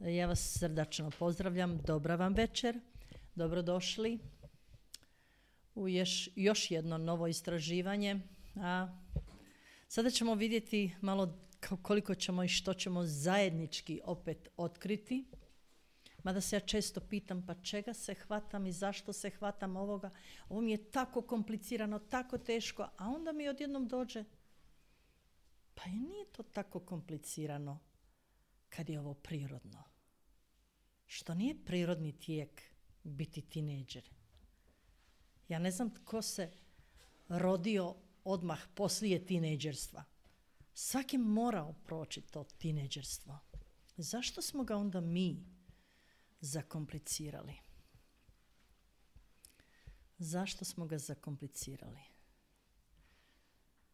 Ja vas srdačno pozdravljam, dobra vam večer, dobrodošli u još jedno novo istraživanje. A sada ćemo vidjeti malo koliko ćemo i što ćemo zajednički opet otkriti. Mada se ja često pitam pa čega se hvatam i zašto se hvatam ovoga. Ovo mi je tako komplicirano, tako teško, a onda mi odjednom dođe pa i nije to tako komplicirano kad je ovo prirodno. Što nije prirodni tijek biti tinejdžer. Ja ne znam tko se rodio odmah poslije tinejdžerstva. Svaki morao proći to tinejdžerstvo. Zašto smo ga onda mi zakomplicirali? Zašto smo ga zakomplicirali?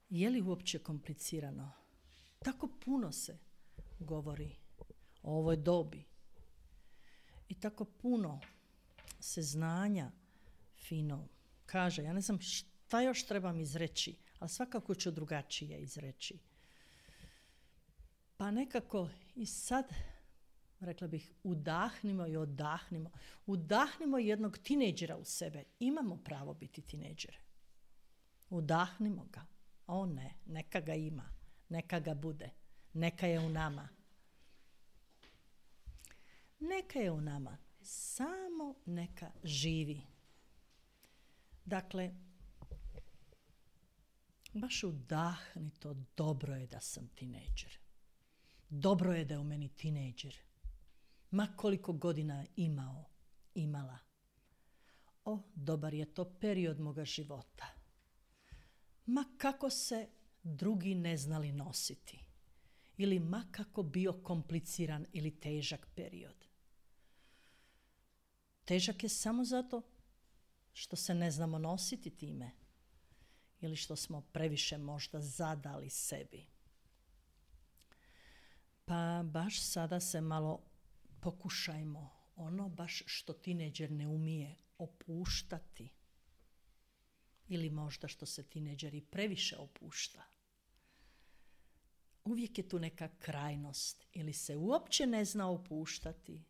Je li uopće komplicirano? Tako puno se govori o ovoj dobi. I tako puno se znanja fino kaže. Ja ne znam šta još trebam izreći, ali svakako ću drugačije izreći. Pa nekako i sad, rekla bih, udahnimo i odahnimo. Udahnimo jednog tinejdžera u sebe. Imamo pravo biti tinejdžere. Udahnimo ga. O ne, neka ga ima. Neka ga bude. Neka je u nama. Neka je u nama. Samo neka živi. Dakle, baš udahni to. Dobro je da sam tinejdžer. Dobro je da je u meni tinejdžer. Ma koliko godina imala. O, dobar je to period moga života. Ma kako se drugi ne znali nositi. Ili ma kako bio kompliciran ili težak period. Težak je samo zato što se ne znamo nositi time. Ili što smo previše možda zadali sebi. Pa baš sada se malo pokušajmo ono baš što tinejdžer ne umije opuštati. Ili možda što se tinejdžeri previše opušta. Uvijek je tu neka krajnost. Ili se uopće ne zna opuštati,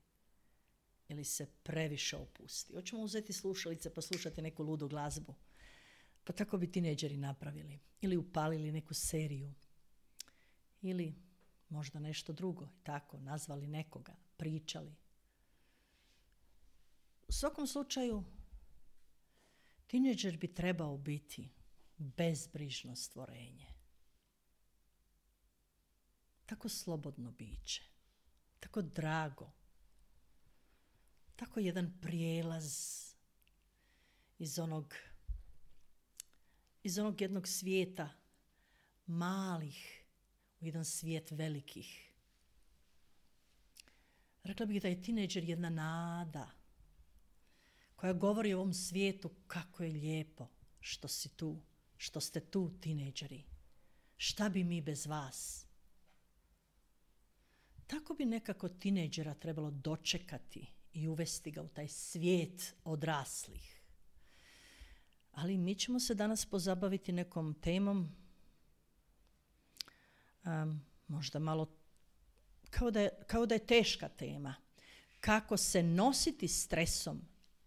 ili se previše opusti. Hoćemo uzeti slušalice pa slušati neku ludu glazbu. Pa tako bi tinejdžeri napravili. Ili upalili neku seriju. Ili možda nešto drugo. Tako, nazvali nekoga, pričali. U svakom slučaju, tinejdžer bi trebao biti bezbrižno stvorenje. Tako slobodno biće. Tako drago. Tako jedan prijelaz iz onog jednog svijeta malih u jedan svijet velikih. Rekla bih da je tinejdžer jedna nada koja govori o ovom svijetu kako je lijepo što si tu, što ste tu tinejdžeri. Šta bi mi bez vas? Tako bi nekako tinejdžera trebalo dočekati i uvesti ga u taj svijet odraslih. Ali mi ćemo se danas pozabaviti nekom temom, možda malo kao da je teška tema. Kako se nositi stresom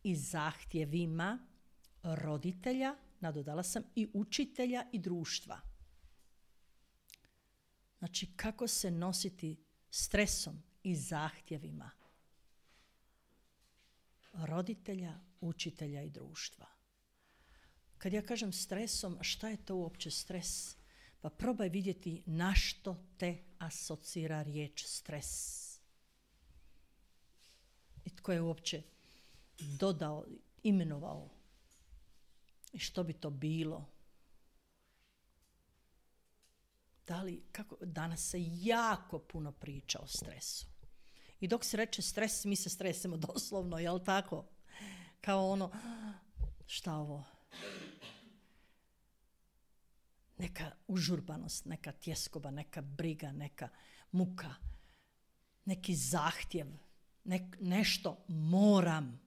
i zahtjevima roditelja, nadodala sam, i učitelja i društva. Znači, kako se nositi stresom i zahtjevima roditelja, učitelja i društva. Kad ja kažem stresom, šta je to uopće stres? Pa probaj vidjeti na što te asocira riječ stres. I tko je uopće dodao, imenovao. I što bi to bilo? Danas se jako puno priča o stresu. I dok se reče stres, mi se stresemo doslovno, jel tako? Kao ono, šta ovo? Neka užurbanost, neka tjeskoba, neka briga, neka muka, neki zahtjev, nešto moram.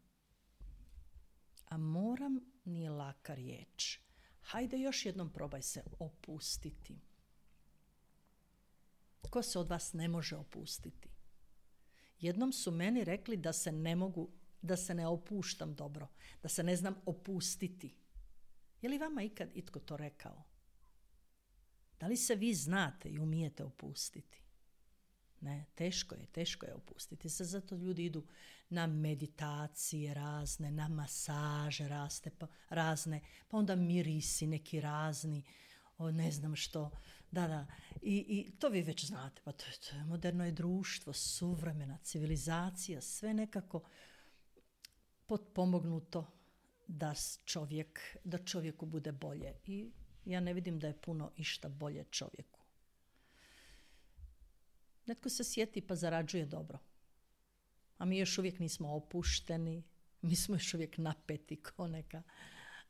A moram nije laka riječ. Hajde još jednom probaj se opustiti. Ko se od vas ne može opustiti? Jednom su meni rekli da se ne mogu, da se ne opuštam dobro, da se ne znam opustiti. Je li vama ikad itko to rekao? Da li se vi znate i umijete opustiti? Ne, teško je opustiti se, zato ljudi idu na meditacije razne, na masaže razne, pa onda mirisi neki razni, ne znam što, da. I to vi već znate, pa to je moderno je društvo, suvremena civilizacija, sve nekako potpomognuto da čovjeku bude bolje. I ja ne vidim da je puno išta bolje čovjeku. Netko se sjeti pa zarađuje dobro. A mi još uvijek nismo opušteni, mi smo još uvijek napeti ko neka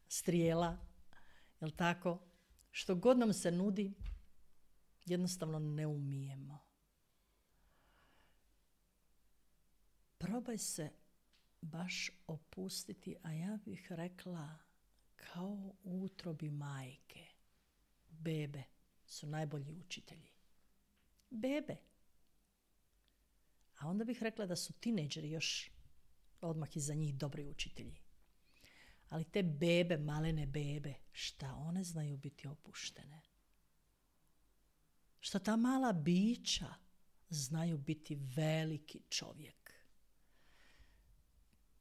strijela. Jel tako? Što god nam se nudi, jednostavno ne umijemo. Probaj se baš opustiti, a ja bih rekla kao u utrobi majke. Bebe su najbolji učitelji. Bebe. A onda bih rekla da su tinejdžeri još odmah iza njih dobri učitelji. Ali te bebe, malene bebe, šta one znaju biti opuštene? Šta ta mala bića znaju biti veliki čovjek?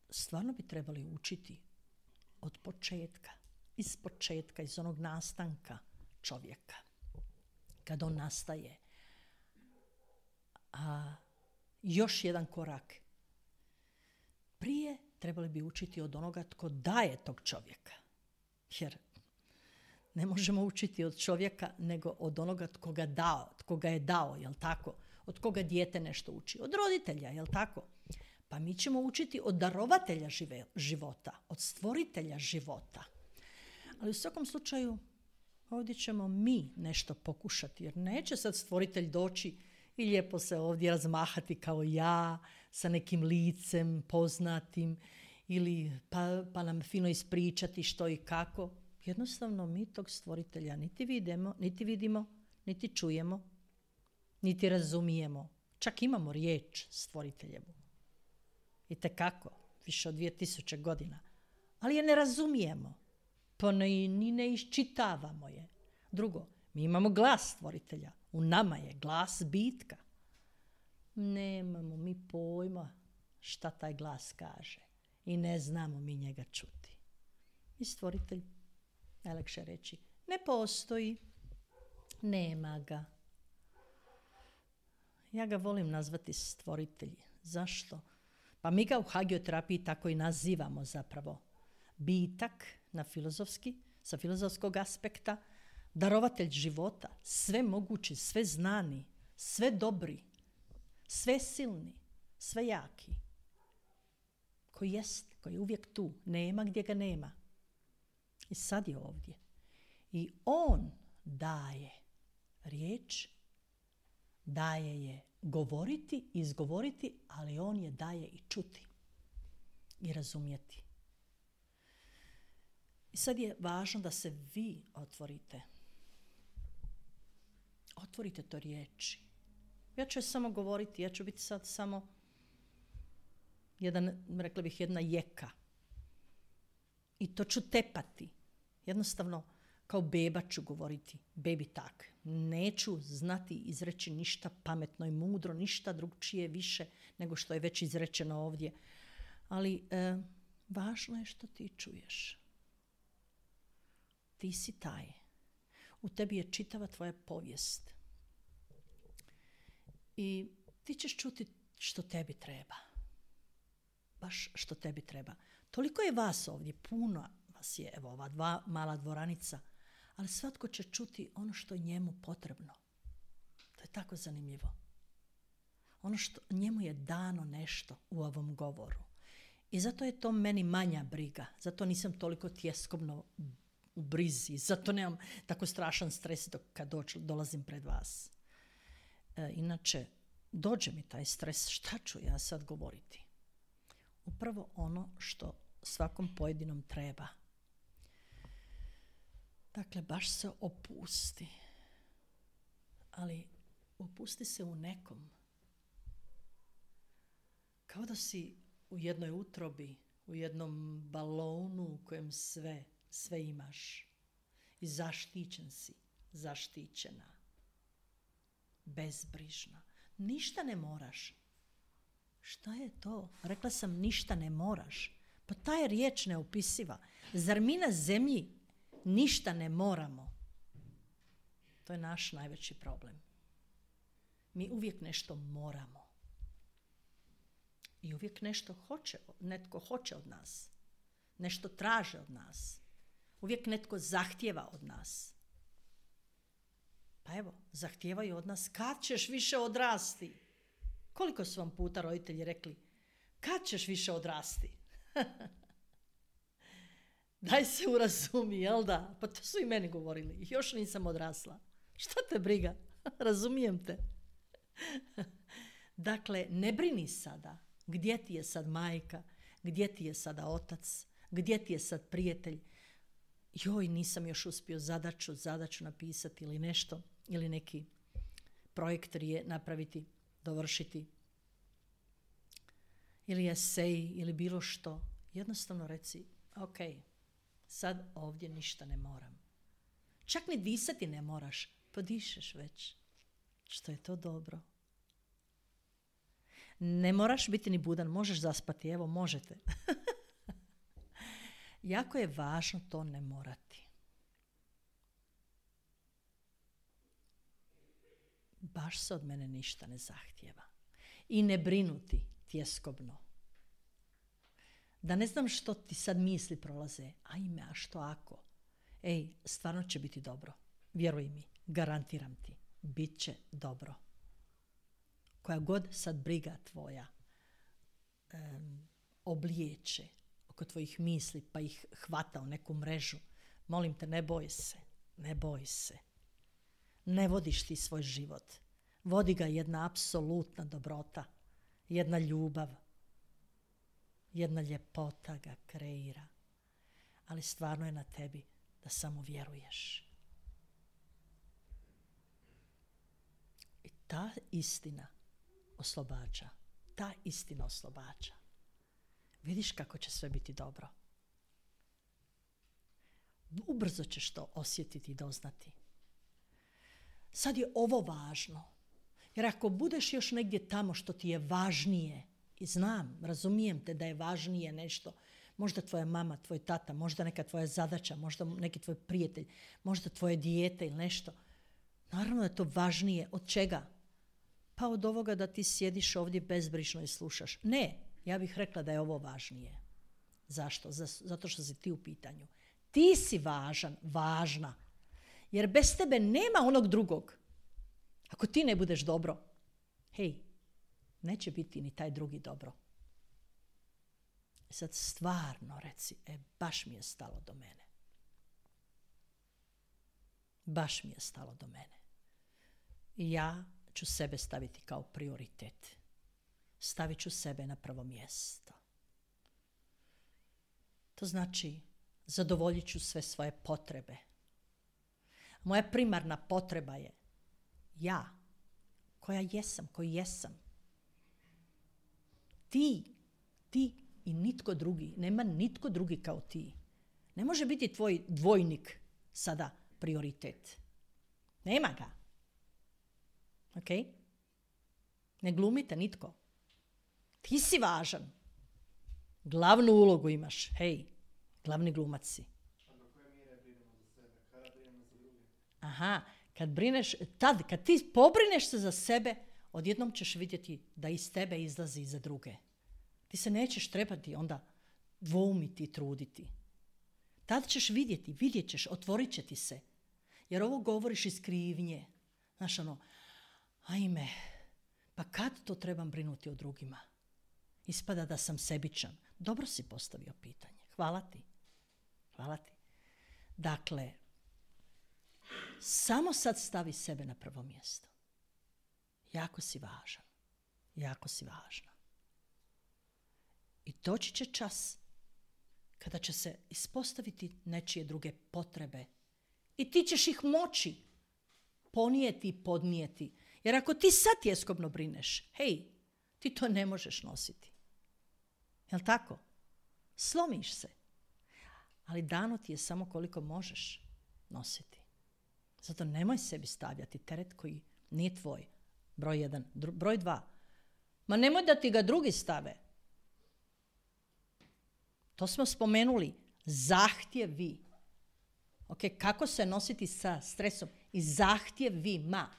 Stvarno bi trebali učiti od početka, iz onog nastanka čovjeka. Kad on nastaje. A još jedan korak. Prije trebali bi učiti od onoga tko daje tog čovjeka. Jer ne možemo učiti od čovjeka nego od onoga tko ga je dao, jel tako? Od koga dijete nešto uči? Od roditelja, jel tako? Pa mi ćemo učiti od darovatelja života, od stvoritelja života. Ali u svakom slučaju ovdje ćemo mi nešto pokušati, jer neće sad stvoritelj doći i lijepo se ovdje razmahati kao ja, sa nekim licem poznatim, ili pa nam fino ispričati što i kako. Jednostavno mi tog stvoritelja niti vidimo, niti čujemo, niti razumijemo. Čak imamo riječ stvoriteljevu. Itekako, više od 2000 godina. Ali je ne razumijemo. Pa ni ne iščitavamo je. Drugo, mi imamo glas stvoritelja. U nama je glas bitka. Nemamo mi pojma šta taj glas kaže. I ne znamo mi njega čuti. I stvoritelj, najlakše reći, ne postoji. Nema ga. Ja ga volim nazvati stvoritelj. Zašto? Pa mi ga u hagioterapiji tako i nazivamo zapravo. Bitak sa filozofskog aspekta, darovatelj života, sve mogući, sve znani, sve dobri, sve silni, sve jaki. Koji je uvijek tu, nema gdje ga nema. I sad je ovdje. I on daje riječ, daje je govoriti, izgovoriti, ali on je daje i čuti i razumjeti. I sad je važno da se vi otvorite. Otvorite to riječi. Ja ću samo govoriti, ja ću biti sad samo rekla bih jedna jeka. I to ću tepati. Jednostavno, kao beba ću govoriti. Bebi tak. Neću znati izreći ništa pametno i mudro, ništa drugčije više nego što je već izrečeno ovdje. Ali važno je što ti čuješ. Ti si taj. U tebi je čitava tvoja povijest. I ti ćeš čuti što tebi treba. Baš što tebi treba. Toliko je vas ovdje, puno vas je, evo ova dva mala dvoranica, ali svatko će čuti ono što je njemu potrebno. To je tako zanimljivo. Ono što njemu je dano nešto u ovom govoru. I zato je to meni manja briga. Zato nisam toliko tjeskobno u brizi. Zato nemam tako strašan stres kad dolazim pred vas. Inače, dođe mi taj stres. Šta ću ja sad govoriti? Upravo ono što svakom pojedinom treba. Dakle, baš se opusti. Ali opusti se u nekom. kao da si u jednoj utrobi, u jednom balonu u kojem sve imaš. I zaštićen si, zaštićena, bezbrižna. Ništa ne moraš. Šta je to? Rekla sam ništa ne moraš. Pa ta je riječ neopisiva. Zar mi na zemlji ništa ne moramo? To je naš najveći problem. Mi uvijek nešto moramo. I uvijek netko hoće od nas. Nešto traže od nas. Uvijek netko zahtijeva od nas. Pa evo, zahtijevaju od nas, kad ćeš više odrasti? Koliko su vam puta roditelji rekli, kad ćeš više odrasti? Daj se urazumi, jel da? Pa to su i meni govorili. Još nisam odrasla. Šta te briga? Razumijem te. Dakle, ne brini sada. Gdje ti je sad majka? Gdje ti je sada otac? Gdje ti je sad prijatelj? Joj, nisam još uspio zadaću napisati ili nešto. Ili neki projekt napraviti, dovršiti. Ili esej, ili bilo što. Jednostavno reci, ok, sad ovdje ništa ne moram. Čak ni disati ne moraš. Podišeš već. Što je to dobro. Ne moraš biti ni budan, možeš zaspati, evo možete. Jako je važno to ne morati. Baš se od mene ništa ne zahtijeva. I ne brinuti tjeskobno. Da ne znam što ti sad misli prolaze. Ajme, a što ako? Ej, stvarno će biti dobro. Vjeruj mi, garantiram ti. Bit će dobro. Koja god sad briga tvoja oblijeće oko tvojih misli pa ih hvata u neku mrežu, molim te, ne boj se. Ne boj se. Ne vodiš ti svoj život. Vodi ga jedna apsolutna dobrota. Jedna ljubav. Jedna ljepota ga kreira. Ali stvarno je na tebi da samo vjeruješ. I ta istina oslobađa. Ta istina oslobađa. Vidiš kako će sve biti dobro. Ubrzo ćeš to osjetiti i doznati. Sad je ovo važno. Jer ako budeš još negdje tamo što ti je važnije, i znam, razumijem te da je važnije nešto, možda tvoja mama, tvoj tata, možda neka tvoja zadaća, možda neki tvoj prijatelj, možda tvoje dijete ili nešto. Naravno da je to važnije. Od čega? Pa od ovoga da ti sjediš ovdje bezbrižno i slušaš. Ne, ja bih rekla da je ovo važnije. Zašto? Zato što si ti u pitanju. Ti si važan, važna. Jer bez tebe nema onog drugog. Ako ti ne budeš dobro, hej, neće biti ni taj drugi dobro. Sad stvarno reci, baš mi je stalo do mene. Baš mi je stalo do mene. I ja ću sebe staviti kao prioritet. Stavit ću sebe na prvo mjesto. To znači, zadovoljit ću sve svoje potrebe. Moja primarna potreba je ja, koja jesam, koji jesam. Ti i nitko drugi. Nema nitko drugi kao ti. Ne može biti tvoj dvojnik sada prioritet. Nema ga. Ok? Ne glumite nitko. Ti si važan. Glavnu ulogu imaš. Hej, glavni glumac si. A do koje mjere brinemo za sebe? Kada brinemo za druge? Aha, kad ti pobrineš se za sebe, odjednom ćeš vidjeti da iz tebe izlazi i za druge. Ti se nećeš trebati onda dvoumiti i truditi. Tad ćeš vidjet ćeš, otvorit će ti se. Jer ovo govoriš iz krivnje. Znaš ajme, pa kad to trebam brinuti o drugima? Ispada da sam sebičan. Dobro si postavio pitanje. Hvala ti. Dakle, samo sad stavi sebe na prvo mjesto. Jako si važan. Jako si važna. I doći će čas kada će se ispostaviti nečije druge potrebe. I ti ćeš ih moći ponijeti i podnijeti. Jer ako ti sad tjeskobno brineš, hej, ti to ne možeš nositi. Jel' tako? Slomiš se. Ali dano ti je samo koliko možeš nositi. Zato nemoj sebi stavljati teret koji nije tvoj. Broj 1. Broj 2. Ma nemoj da ti ga drugi stave. To smo spomenuli. Zahtjevi. Ok, kako se nositi sa stresom? I zahtjevima.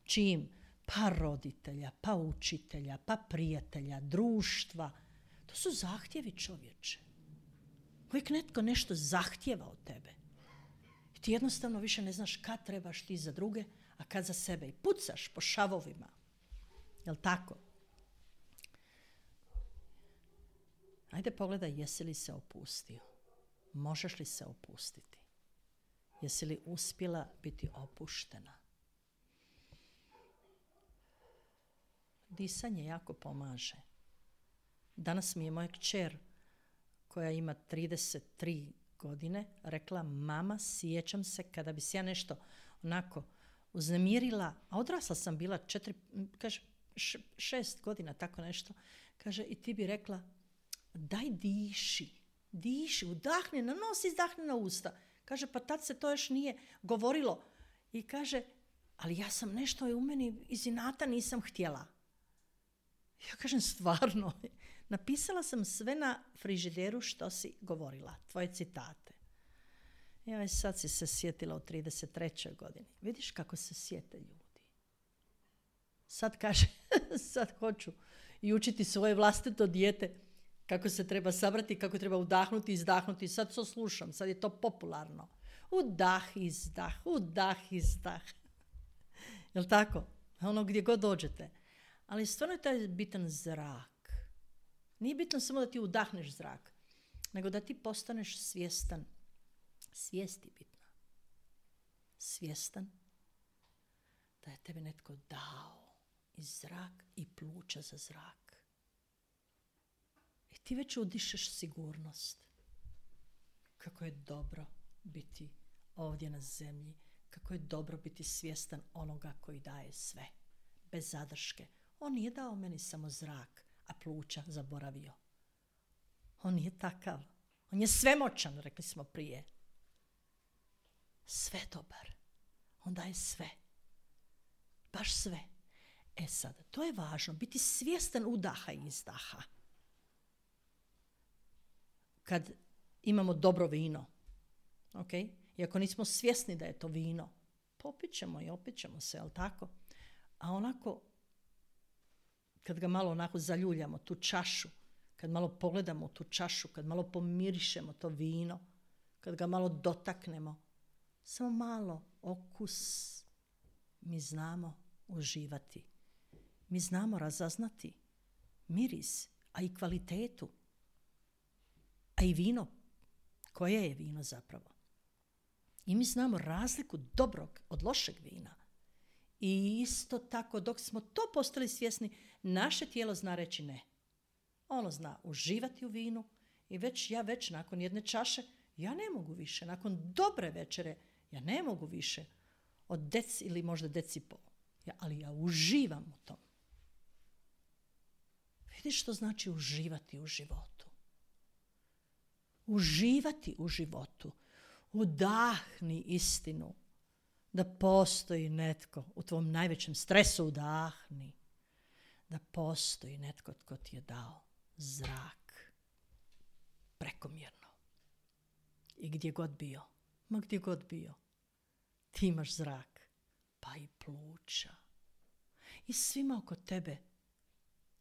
Čijim? Pa roditelja, pa učitelja, pa prijatelja, društva. To su zahtjevi, čovječe. Uvijek netko nešto zahtjeva od tebe. I ti jednostavno više ne znaš kad trebaš ti za druge, a kad za sebe. I pucaš po šavovima. Jel' tako? Ajde pogledaj, jesi li se opustio? Možeš li se opustiti? Jesi li uspjela biti opuštena? Disanje jako pomaže. Danas mi je moja kćer, koja ima 33 godine, rekla: mama, sjećam se kada bi se ja nešto onako uznemirila, a odrasla sam bila 6 godina, tako nešto. Kaže, i ti bi rekla: daj diši, udahni na nos, izdahni na usta. Kaže, pa tad se to još nije govorilo. I kaže, ali ja sam nešto u meni iz inata nisam htjela. Ja kažem, stvarno, napisala sam sve na frižideru što si govorila, tvoje citate. Ja sad si se sjetila u 33. godini. Vidiš kako se sjete ljudi. Sad kaže, sad hoću i učiti svoje vlastito dijete kako se treba sabrati, kako treba udahnuti, izdahnuti. Sad to slušam, sad je to popularno. Udah, izdah. Jel' tako? Ono gdje god dođete. Ali stvarno je taj bitan zrak. Nije bitno samo da ti udahneš zrak, nego da ti postaneš svjestan. Svijest je bitna. Svjestan da je tebi netko dao i zrak i pluća za zrak. I ti već udišeš sigurnost. Kako je dobro biti ovdje na zemlji. Kako je dobro biti svjestan onoga koji daje sve. Bez zadrške. On nije dao meni samo zrak, a pluća zaboravio. On nije takav. On je svemoćan, rekli smo prije. Sve dobar. On daje sve. Baš sve. E sad, to je važno. Biti svjestan udaha i izdaha. Kad imamo dobro vino, ok? I ako nismo svjesni da je to vino, popit ćemo i opit ćemo se, jel' tako? A onako, kad ga malo onako zaljuljamo, tu čašu, kad malo pogledamo tu čašu, kad malo pomirišemo to vino, kad ga malo dotaknemo, samo malo okus, mi znamo uživati. Mi znamo razaznati miris, a i kvalitetu, a i vino. Koje je vino zapravo? I mi znamo razliku dobrog od lošeg vina. I isto tako, dok smo to postali svjesni, naše tijelo zna reći ne. Ono zna uživati u vinu i ja već nakon jedne čaše, ja ne mogu više. Nakon dobre večere, ja ne mogu više od deci ili možda decipol. Ali ja uživam u tom. Vidiš što znači uživati u životu. Uživati u životu. Udahni istinu. Da postoji netko u tvom najvećem stresu, udahni. Da postoji netko tko ti je dao zrak. Prekomjerno. I gdje god bio. Ma gdje god bio. Ti imaš zrak. Pa i pluća. I svima oko tebe.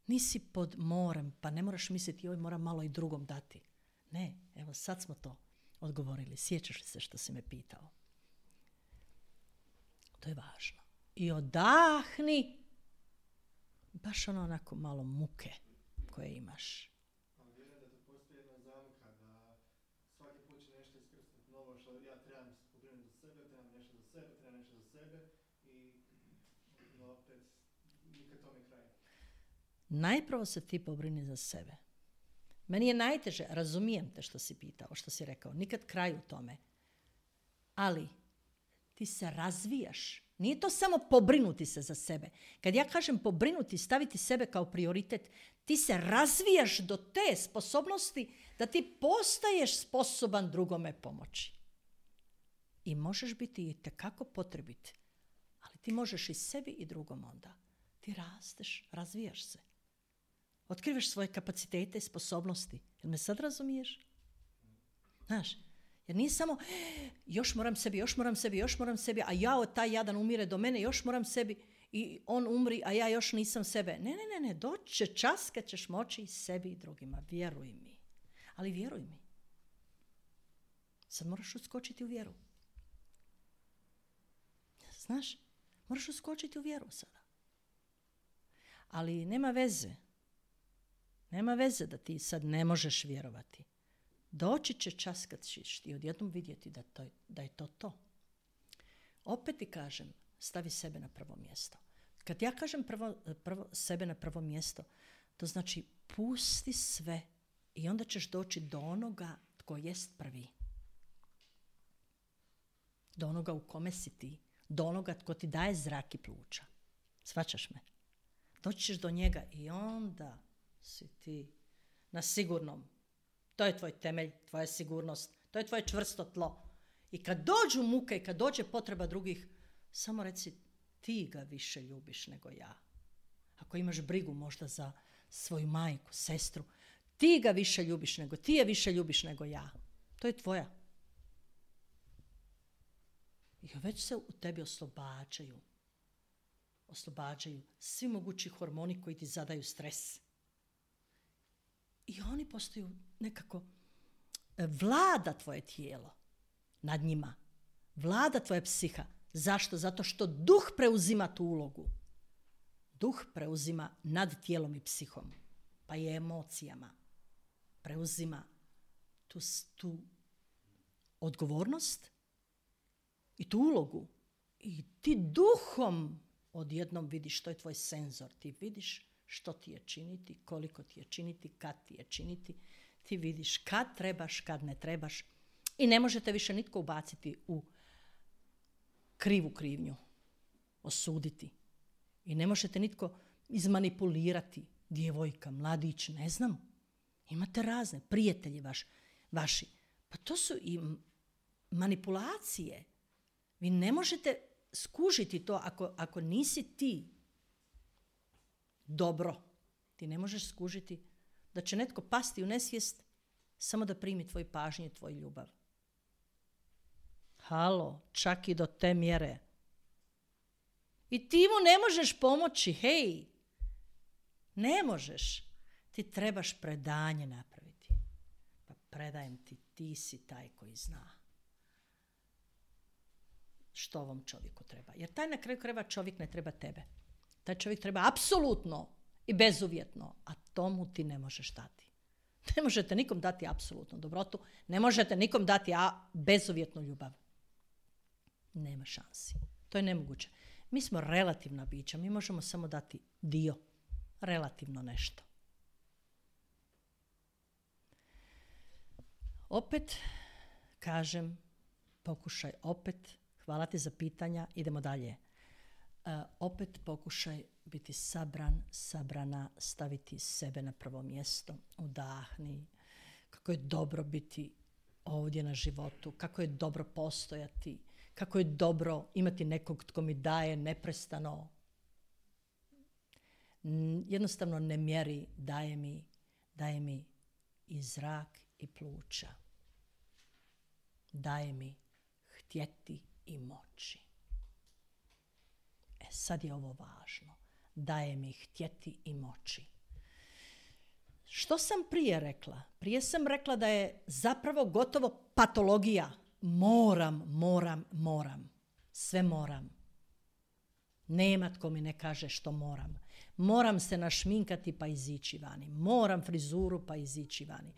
Nisi pod morem, pa ne moraš misliti joj moram malo i drugom dati. Ne, evo sad smo to odgovorili. Sjećaš li se što si me pitao? To je važno. I odahni baš onako malo muke koje imaš. Ali vjerujem da tu postoji jedna zamka da svaki put će nešto iskrsnuti novo što ja trebam se pobrinuti za sebe, trebam nešto za sebe i opet nikad tome kraj. Najprvo se ti pobrini za sebe. Meni je najteže, razumijem te što si pitao, što si rekao, nikad kraj u tome. Ali ti se razvijaš. Nije to samo pobrinuti se za sebe. Kad ja kažem pobrinuti, staviti sebe kao prioritet, Ti se razvijaš do te sposobnosti da ti postaješ sposoban drugome pomoći. I možeš biti itekako potrebit, ali ti možeš i sebi i drugom onda. Ti rasteš, razvijaš se. Otkrivaš svoje kapacitete i sposobnosti. Jel me sad razumiješ? Znaš, jer nije samo još moram sebi, a ja taj jadan umire do mene, još moram sebi i on umri, a ja još nisam sebe. Ne, doći će čas kad ćeš moći i sebi i drugima, vjeruj mi. Ali vjeruj mi. Sad moraš uskočiti u vjeru. Znaš, moraš uskočiti u vjeru sada. Ali nema veze. Nema veze da ti sad ne možeš vjerovati. Doći će čas kad ćeš ti odjednom vidjeti da je to. Opet ti kažem, stavi sebe na prvo mjesto. Kad ja kažem prvo sebe na prvo mjesto, to znači pusti sve i onda ćeš doći do onoga tko jest prvi. Do onoga u kome si ti. Do onoga tko ti daje zrak i pluća. Shvaćaš me? Doći ćeš do njega i onda si ti na sigurnom. To je tvoj temelj, tvoja sigurnost. To je tvoje čvrsto tlo. I kad dođu muke i kad dođe potreba drugih, samo reci ti ga više ljubiš nego ja. Ako imaš brigu možda za svoju majku, sestru, ti ga više ljubiš nego, ti je više ljubiš nego ja. To je tvoja. I već se u tebi oslobađaju svi mogući hormoni koji ti zadaju stres. I oni postaju nekako, vlada tvoje tijelo nad njima. Vlada tvoja psiha. Zašto? Zato što duh preuzima tu ulogu. Duh preuzima nad tijelom i psihom, pa i emocijama. Preuzima tu odgovornost i tu ulogu. I ti duhom odjednom vidiš, to je tvoj senzor. Ti vidiš što ti je činiti, koliko ti je činiti, kad ti je činiti. Ti vidiš kad trebaš, kad ne trebaš. I ne možete više nitko ubaciti u krivu krivnju, osuditi. I ne možete nitko izmanipulirati, djevojka, mladić, ne znam. Imate razne, prijatelji vaši. Pa to su i manipulacije. Vi ne možete skužiti to ako nisi ti dobro. Ti ne možeš skužiti da će netko pasti u nesvijest samo da primi tvoj pažnju i tvoj ljubav. Halo, čak i do te mjere. I ti mu ne možeš pomoći, hej. Ne možeš. Ti trebaš predanje napraviti. Pa predajem ti, ti si taj koji zna što ovom čovjeku treba. Jer taj na kraju krajeva čovjek ne treba tebe. Taj čovjek treba apsolutno i bezuvjetno, a tomu ti ne možeš dati. Ne možete nikom dati apsolutnu dobrotu, ne možete nikom dati bezuvjetnu ljubav. Nema šansi. To je nemoguće. Mi smo relativna bića, mi možemo samo dati dio, relativno nešto. Opet kažem, pokušaj opet, hvala ti za pitanja, idemo dalje. Opet pokušaj biti sabrana, staviti sebe na prvo mjesto, udahni, kako je dobro biti ovdje na životu, kako je dobro postojati, kako je dobro imati nekog tko mi daje neprestano. Jednostavno ne mjeri, daje mi i zrak i pluća. Daje mi htjeti i moći. Sad je ovo važno. Daje mi htjeti i moći. Što sam prije rekla? Prije sam rekla da je zapravo gotovo patologija. Moram. Sve moram. Nema tko mi ne kaže što moram. Moram se našminkati pa izići vani. Moram frizuru pa izići vani.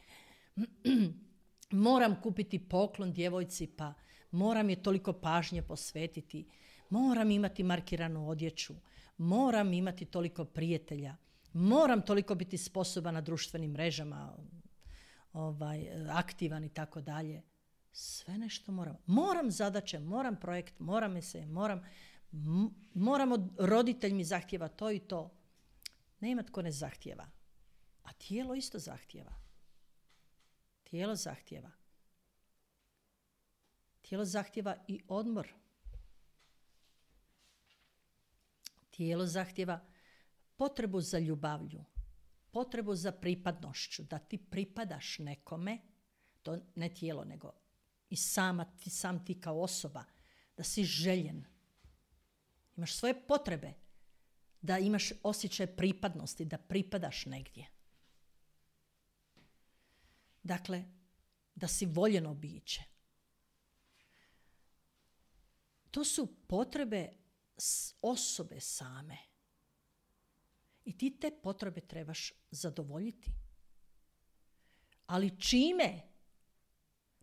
Moram kupiti poklon djevojci pa moram je toliko pažnje posvetiti. Moram imati markiranu odjeću. Moram imati toliko prijatelja. Moram toliko biti sposoban na društvenim mrežama, aktivan i tako dalje. Sve nešto moram. Moram zadaće, moram projekt, moram od roditelj mi zahtjeva to i to. Nema tko ne zahtjeva. A tijelo isto zahtijeva. Tijelo zahtijeva. Tijelo zahtijeva i odmor. Tijelo zahtijeva potrebu za ljubavlju, potrebu za pripadnošću, da ti pripadaš nekome, to ne tijelo, nego i sam ti kao osoba, da si željen. Imaš svoje potrebe, da imaš osjećaj pripadnosti, da pripadaš negdje. Dakle, da si voljeno biće. To su potrebe osobe same. I ti te potrebe trebaš zadovoljiti. Ali čime?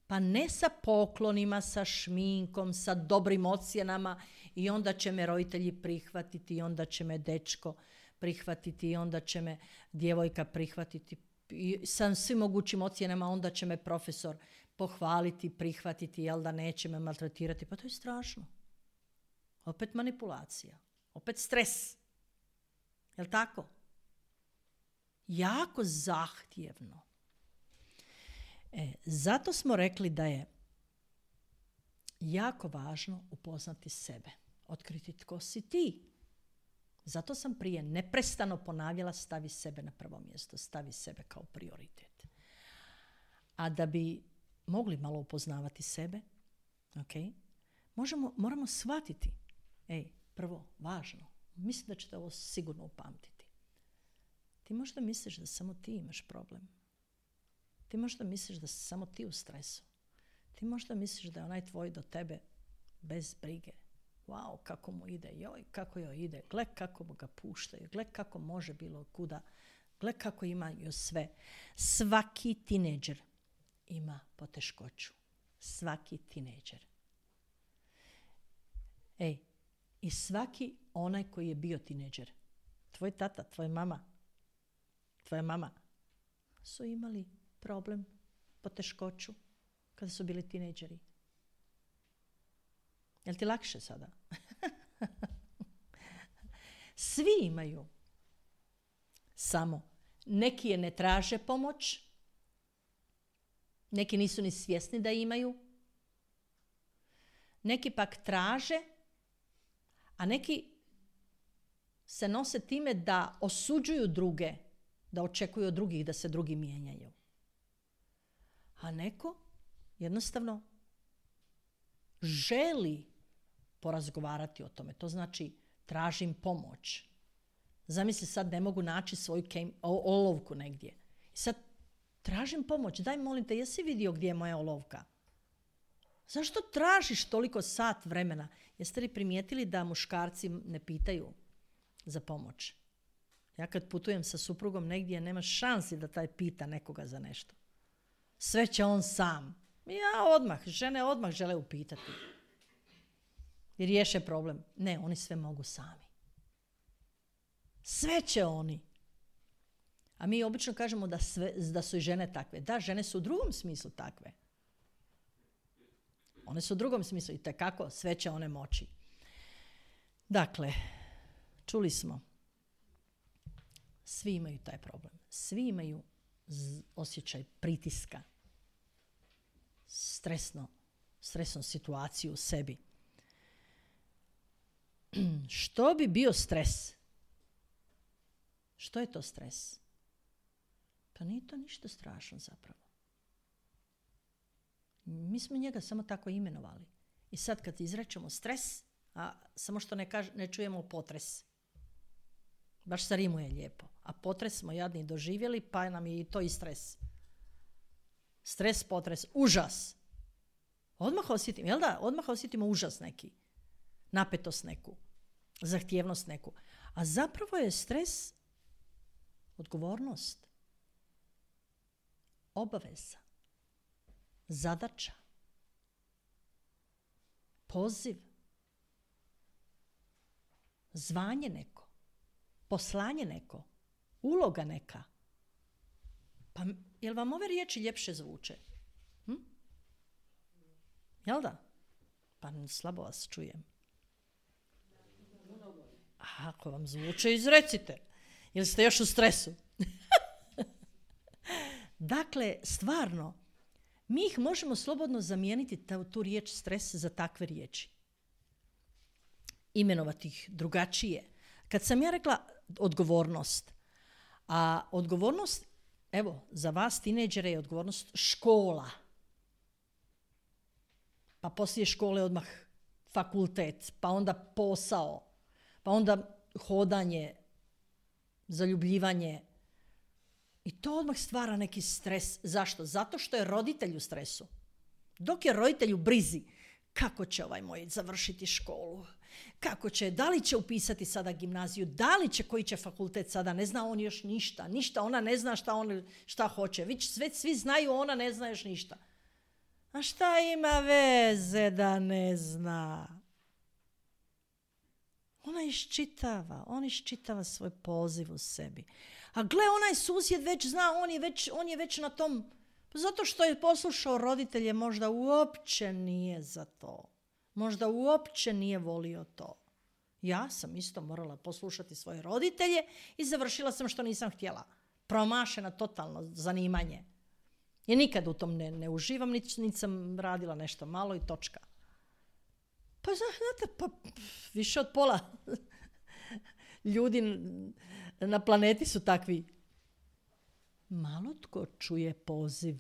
Pa ne sa poklonima, sa šminkom, sa dobrim ocjenama i onda će me roditelji prihvatiti, i onda će me dečko prihvatiti, i onda će me djevojka prihvatiti. I sa svim mogućim ocjenama onda će me profesor pohvaliti, prihvatiti, jel da neće me maltretirati. Pa to je strašno. Opet manipulacija. Opet stres. Jel tako? Jako zahtjevno. Zato smo rekli da je jako važno upoznati sebe. Otkriti tko si ti. Zato sam prije neprestano ponavljala stavi sebe na prvo mjesto. Stavi sebe kao prioritet. A da bi mogli malo upoznavati sebe, okay, moramo shvatiti. Prvo, važno. Mislim da ćete ovo sigurno upamtiti. Ti možda misliš da samo ti imaš problem. Ti možda misliš da si samo ti u stresu. Ti možda misliš da je onaj tvoj do tebe bez brige. Wow, kako mu ide, joj, kako joj ide. Gle kako ga puštaju, gle kako može bilo kuda. Gle kako imaju sve. Svaki tinejdžer ima poteškoću. Svaki tinejdžer. I svaki onaj koji je bio tinejdžer. Tvoj tata, tvoja mama su imali problem, poteškoću kada su bili tinejdžeri. Jel ti lakše sada? Svi imaju. Samo neki je ne traže pomoć, neki nisu ni svjesni da imaju, neki pak traže, a neki se nose time da osuđuju druge, da očekuju od drugih da se drugi mijenjaju. A neko jednostavno želi porazgovarati o tome. To znači tražim pomoć. Zamisli sad ne mogu naći svoju olovku negdje. I sad tražim pomoć. Daj molim te, jesi vidio gdje je moja olovka? Zašto tražiš toliko sat vremena? Jeste li primijetili da muškarci ne pitaju za pomoć? Ja kad putujem sa suprugom negdje, nema šansi da taj pita nekoga za nešto. Sve će on sam. Žene odmah žele upitati. I riješe problem. Ne, oni sve mogu sami. Sve će oni. A mi obično kažemo da su i žene takve. Da, žene su u drugom smislu takve. One su u drugom smislu i tekako sve će one moći. Dakle, čuli smo. Svi imaju taj problem. Svi imaju osjećaj pritiska. Stresnu situaciju u sebi. Što bi bio stres? Što je to stres? Pa nije to ništa strašno zapravo. Mi smo njega samo tako imenovali. I sad kad izrečemo stres, a samo što ne čujemo potres. Baš se rimuje lijepo. A potres smo jadni doživjeli, pa nam je i to i stres. Stres, potres, užas. Odmah osjetimo, jel da? Odmah osjetimo užas neki. Napetost neku. Zahtjevnost neku. A zapravo je stres odgovornost. Obaveza. Zadaća. Poziv. Zvanje neko. Poslanje neko. Uloga neka. Pa jel vam ove riječi ljepše zvuče? Jel da? Pa slabo vas čujem. A ako vam zvuče, izrecite. Ili ste još u stresu? Dakle, stvarno, mi ih možemo slobodno zamijeniti tu riječ stres za takve riječi. Imenovati ih drugačije. Kad sam ja rekla odgovornost, a odgovornost, evo, za vas tinejdžere je odgovornost škola. Pa poslije škole odmah fakultet, pa onda posao, pa onda hodanje, zaljubljivanje. I to odmah stvara neki stres. Zašto? Zato što je roditelj u stresu. Dok je roditelj u brizi, kako će ovaj moj završiti školu? Kako će, da li će upisati sada gimnaziju, da li će, koji će fakultet sada, ne zna on još ništa, ona ne zna šta hoće, svi znaju, ona ne zna još ništa. A šta ima veze da ne zna? On iščitava svoj poziv u sebi. A gle, onaj susjed već zna, on je već na tom, zato što je poslušao roditelje, možda uopće nije za to. Možda uopće nije volio to. Ja sam isto morala poslušati svoje roditelje i završila sam što nisam htjela. Promašena totalno zanimanje. I nikad u tom ne uživam, niti sam radila nešto malo i točka. Pa znate, više od pola ljudi na planeti su takvi. Malo tko čuje poziv.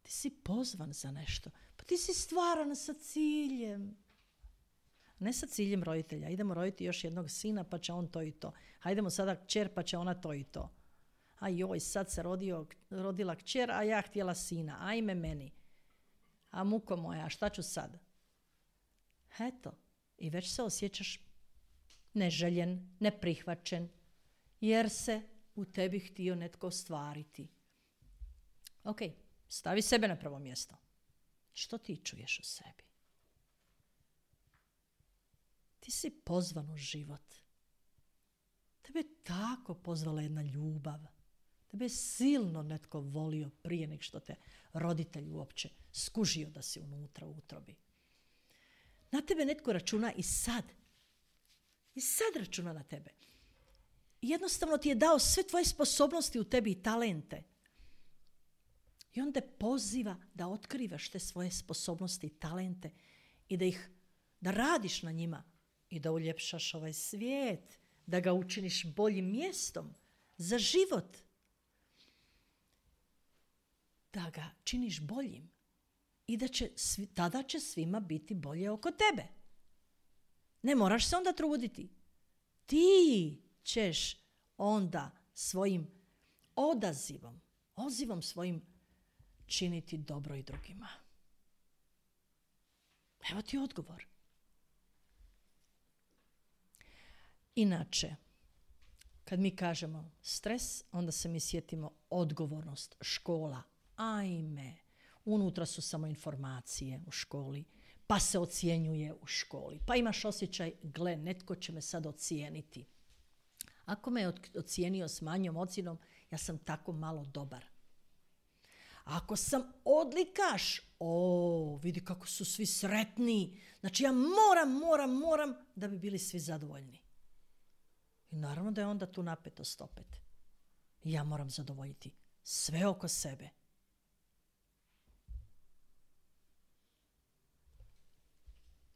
Ti si pozvan za nešto. Pa ti si stvaran sa ciljem. Ne sa ciljem roditelja. Idemo roditi još jednog sina pa će on to i to. Hajdemo sada kćer pa će ona to i to. A joj, sad se rodila kćer, a ja htjela sina. Ajme meni. A muko moja, šta ću sad? Eto. I već se osjećaš neželjen, neprihvaćen, jer se u tebi htio netko ostvariti. Ok, stavi sebe na prvo mjesto. Što ti čuješ u sebi? Ti si pozvan u život. Tebe je tako pozvala jedna ljubav. Tebe je silno netko volio prije nego što te roditelj uopće skužio da si unutra u utrobi. Na tebe netko računa i sad. I sad računa na tebe. Jednostavno ti je dao sve tvoje sposobnosti u tebi i talente. I on te poziva da otkrivaš te svoje sposobnosti i talente i da radiš na njima i da uljepšaš ovaj svijet, da ga učiniš boljim mjestom za život. Da ga činiš boljim i tada će svima biti bolje oko tebe. Ne moraš se onda truditi. Ti ćeš onda svojim odazivom svojim činiti dobro i drugima. Evo ti odgovor. Inače, kad mi kažemo stres, onda se mi sjetimo odgovornost, škola. Ajme, unutra su samo informacije u školi, pa se ocjenjuje u školi, pa imaš osjećaj, gle, netko će me sad ocijeniti. Ako me je ocijenio s manjom ocjenom, ja sam tako malo dobar. Ako sam odlikaš, vidi kako su svi sretni. Znači ja moram da bi bili svi zadovoljni. I naravno da je onda tu napetost opet. Ja moram zadovoljiti sve oko sebe.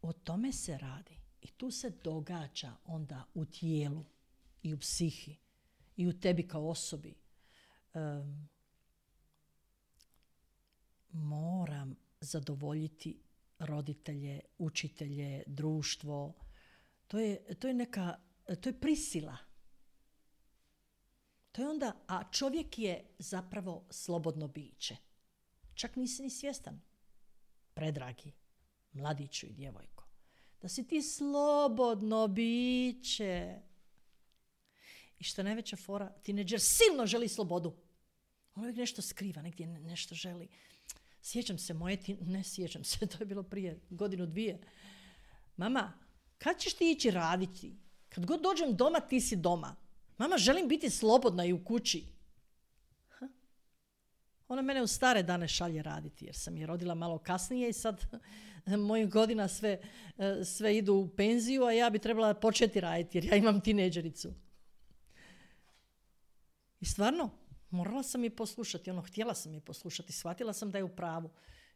O tome se radi. I tu se događa onda u tijelu i u psihi i u tebi kao osobi. Moram zadovoljiti roditelje, učitelje, društvo. To je prisila. To je onda, a čovjek je zapravo slobodno biće. Čak nisi ni svjestan, predragi mladiću i djevojko, da si ti slobodno biće. I što je najveća fora, tinejdžer silno želi slobodu. On uvijek nešto skriva, negdje nešto želi. Sjećam se ne sjećam se, to je bilo prije 1-2. Mama, kad ćeš ti ići raditi? Kad god dođem doma, ti si doma. Mama, želim biti slobodna i u kući. Ona mene u stare dane šalje raditi, jer sam je rodila malo kasnije i sad mojih godina sve idu u penziju, a ja bi trebala početi raditi, jer ja imam tinejdžericu. I stvarno, morala sam je poslušati, htjela sam je poslušati, shvatila sam da je u pravu.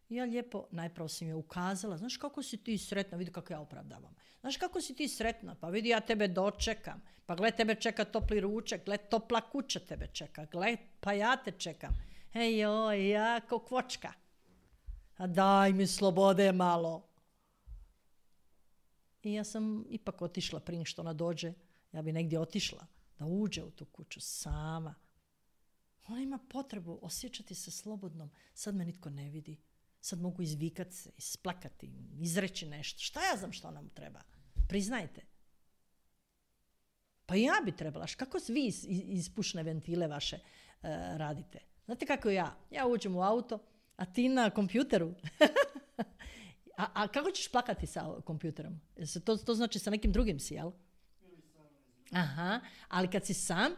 I ja lijepo, najpravo sam je ukazala, znaš kako si ti sretna, vidi kako ja opravdavam. Znaš kako si ti sretna, pa vidi ja tebe dočekam, pa gle tebe čeka topli ručak, gle topla kuća tebe čeka, gle pa ja te čekam. Joj, ja ko kvočka. A daj mi slobode malo. I ja sam ipak otišla prije što ona dođe, ja bi negdje otišla, da uđe u tu kuću sama. Ona ima potrebu osjećati se slobodnom. Sad me nitko ne vidi. Sad mogu izvikati se, isplakati, izreći nešto. Šta ja znam što nam treba? Priznajte. Pa ja bi trebala. Kako vi iz pušne ventile vaše radite? Znate kako ja? Ja uđem u auto, a ti na kompjuteru. a kako ćeš plakati sa kompjuterom? To znači sa nekim drugim si, jel? Aha, ali kad si sam,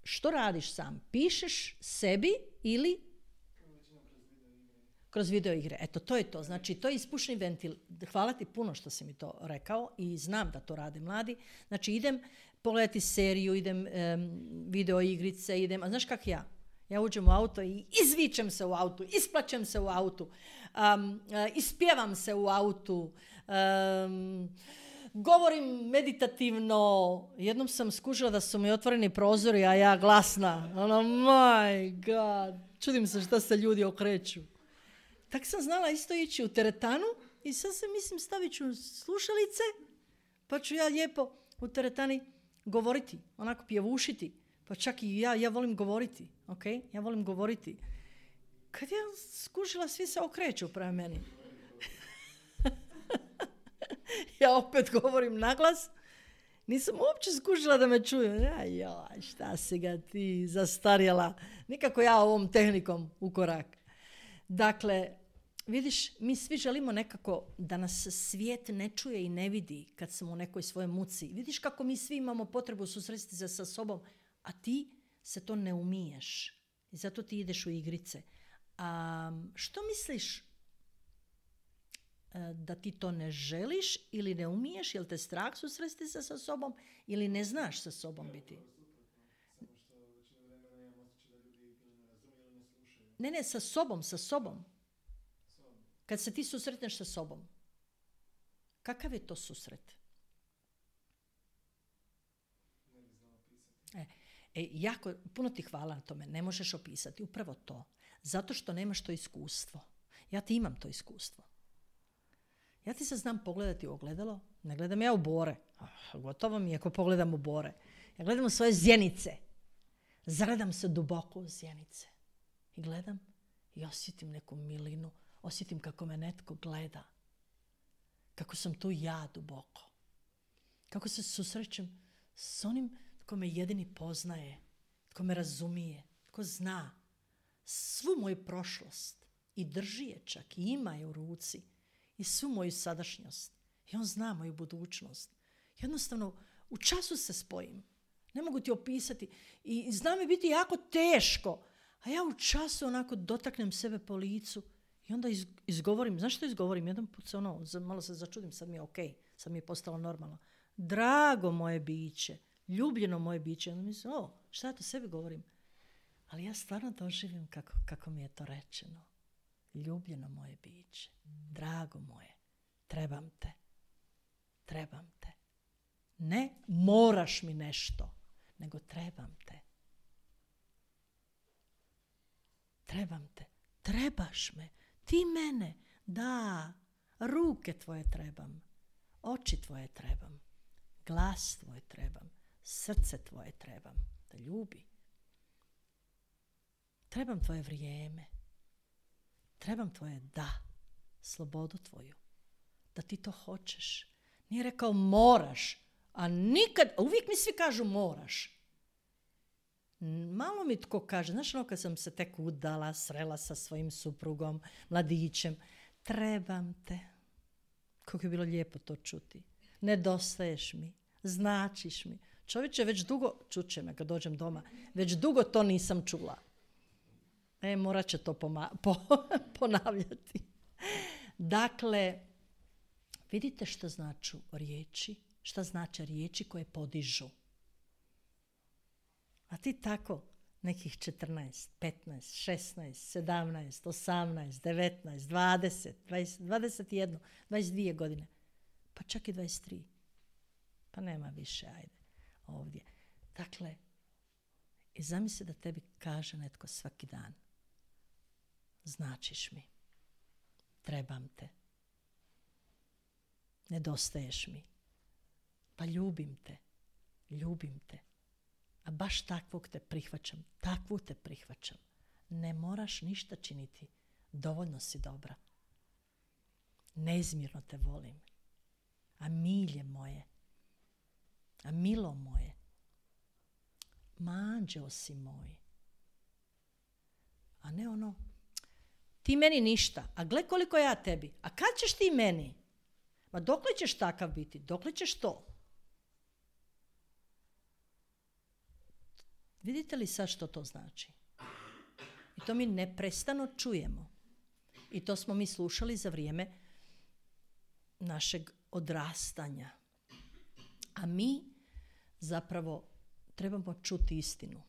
što radiš sam? Pišeš sebi ili kroz video igre. Eto, to je to. Znači, to je ispušni ventil. Hvala ti puno što si mi to rekao i znam da to rade mladi. Znači, idem pogledati seriju, idem video igrice, a znaš kak ja? Ja uđem u auto i izvičem se u autu, isplačem se u autu, ispjevam se u autu, govorim meditativno. Jednom sam skužila da su mi otvoreni prozori, a ja glasna. My God. Čudim se šta se ljudi okreću. Tak sam znala isto ići u teretanu i sad se stavit ću slušalice, pa ću ja lijepo u teretani govoriti, onako pjevušiti. Pa čak i ja volim govoriti, ok? Ja volim govoriti. Kad ja skužila, svi se okreću prema meni. Ja opet govorim naglas. Nisam uopće skužila da me čuju. Joj, šta si ga ti zastarjela. Nikako ja ovom tehnikom u korak. Dakle, vidiš, mi svi želimo nekako da nas svijet ne čuje i ne vidi kad smo u nekoj svojoj muci. Vidiš kako mi svi imamo potrebu susresti se sa sobom, a ti se to ne umiješ. I zato ti ideš u igrice. Što misliš da ti to ne želiš ili ne umiješ? Jel te strah susresti se sa sobom ili ne znaš sa sobom biti? Ne, sa sobom. Kad se ti susretneš sa sobom. Kakav je to susret? Jako, puno ti hvala na tome. Ne možeš opisati. Upravo to. Zato što nemaš to iskustvo. Ja ti imam to iskustvo. Ja ti se znam pogledati u ogledalo. Ne gledam ja u bore. Gotovo mi je ako pogledam u bore. Ja gledam u svoje zjenice. Zagledam se duboko u zjenice. I gledam i osjetim neku milinu. Osjetim kako me netko gleda. Kako sam tu ja duboko. Kako se susrećem s onim tko me jedini poznaje. Tko me razumije. Tko zna svu moju prošlost. I drži je čak. I ima je u ruci. I svu moju sadašnjost. I on zna moju budućnost. Jednostavno, u času se spojim. Ne mogu ti opisati. I zna mi biti jako teško. A ja u času onako dotaknem sebe po licu i onda izgovorim. Znaš što izgovorim? Jedan put se malo se začudim, sad mi je okej. Sad mi je postalo normalno. Drago moje biće. Ljubljeno moje biće. Onda mislim, šta ja to sebi govorim? Ali ja stvarno doživim kako mi je to rečeno. Ljubljeno moje biće. Drago moje. Trebam te. Trebam te. Ne moraš mi nešto, nego trebam te. Trebam te. Trebaš me. Ti mene. Da. Ruke tvoje trebam. Oči tvoje trebam. Glas tvoj trebam. Srce tvoje trebam. Da ljubi. Trebam tvoje vrijeme. Trebam tvoje da. Slobodu tvoju. Da ti to hoćeš. Nije rekao moraš. A nikad, uvijek mi svi kažu moraš. Malo mi tko kaže, znaš kad sam se tek udala, srela sa svojim suprugom, mladićem, trebam te. Kako je bilo lijepo to čuti. Nedostaješ mi, značiš mi. Čovječe, već dugo, čuće me kad dođem doma, već dugo to nisam čula. Morat će to ponavljati. Dakle, vidite što značu riječi, šta znače riječi koje podižu. A ti tako nekih 14, 15, 16, 17, 18, 19, 20, 21, 22 godine. Pa čak i 23. Pa nema više, ajde, ovdje. Dakle, i zamisli da tebi kaže netko svaki dan: značiš mi, trebam te, nedostaješ mi, pa ljubim te, a baš takvog te prihvaćam, takvu te prihvaćam. Ne moraš ništa činiti, dovoljno si dobra. Neizmjerno te volim, a milje moje, a milo moje, ma anđeo si moj. A ne ono, ti meni ništa, a gle koliko ja tebi, a kad ćeš ti meni? Ma dokle ćeš takav biti, dokle ćeš to? Vidite li sad što to znači? I to mi neprestano čujemo. I to smo mi slušali za vrijeme našeg odrastanja. A mi zapravo trebamo čuti istinu.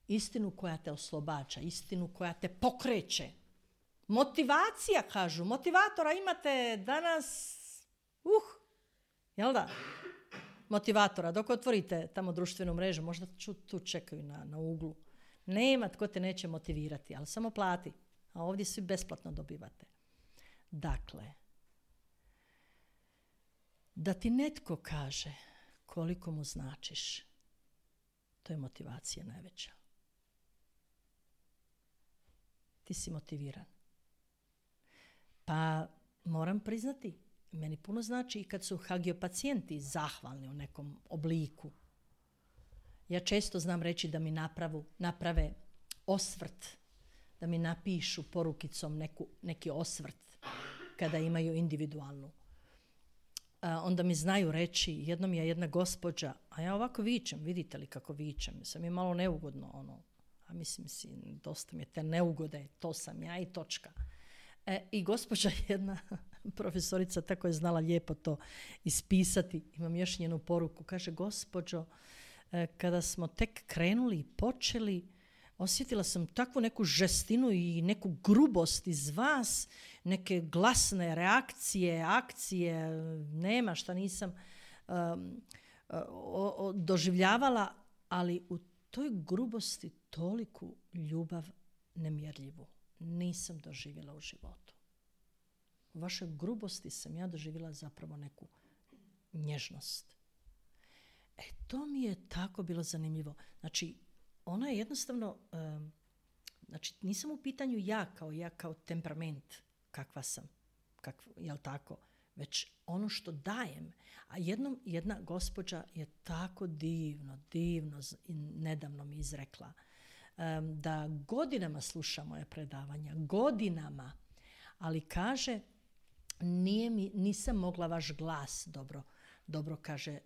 Istinu koja te oslobađa, istinu koja te pokreće. Motivacija, kažu. Motivatora imate danas, jel da? Motivatora. Dok otvorite tamo društvenu mrežu, možda tu čekaju na uglu. Nema tko te neće motivirati, ali samo plati. A ovdje svi besplatno dobivate. Dakle, da ti netko kaže koliko mu značiš, to je motivacija najveća. Ti si motiviran. Pa moram priznati, meni puno znači i kad su hagiopatijenti zahvalni u nekom obliku. Ja često znam reći da mi naprave osvrt, da mi napišu porukicom neki osvrt kada imaju individualnu. Onda mi znaju reći, jednom je jedna gospođa, a ja ovako vičem, vidite li kako vičem, sam je malo neugodno, a mislim si, dosta mi je te neugode, to sam ja i točka. I gospođa jedna profesorica tako je znala lijepo to ispisati, imam još njenu poruku, kaže: gospođo, kada smo tek krenuli i počeli, osjetila sam takvu neku žestinu i neku grubost iz vas, neke glasne reakcije, akcije, nema šta nisam doživljavala, ali u toj grubosti toliku ljubav nemjerljivu nisam doživjela u životu. U vašoj grubosti sam ja doživjela zapravo neku nježnost. To mi je tako bilo zanimljivo. Znači, ona je jednostavno, znači nisam u pitanju ja kao temperament kakva sam, jel tako, već ono što dajem. A jedna gospođa je tako divno i nedavno mi izrekla da godinama sluša moje predavanja, godinama, ali kaže, nisam mogla vaš glas dobro kaže,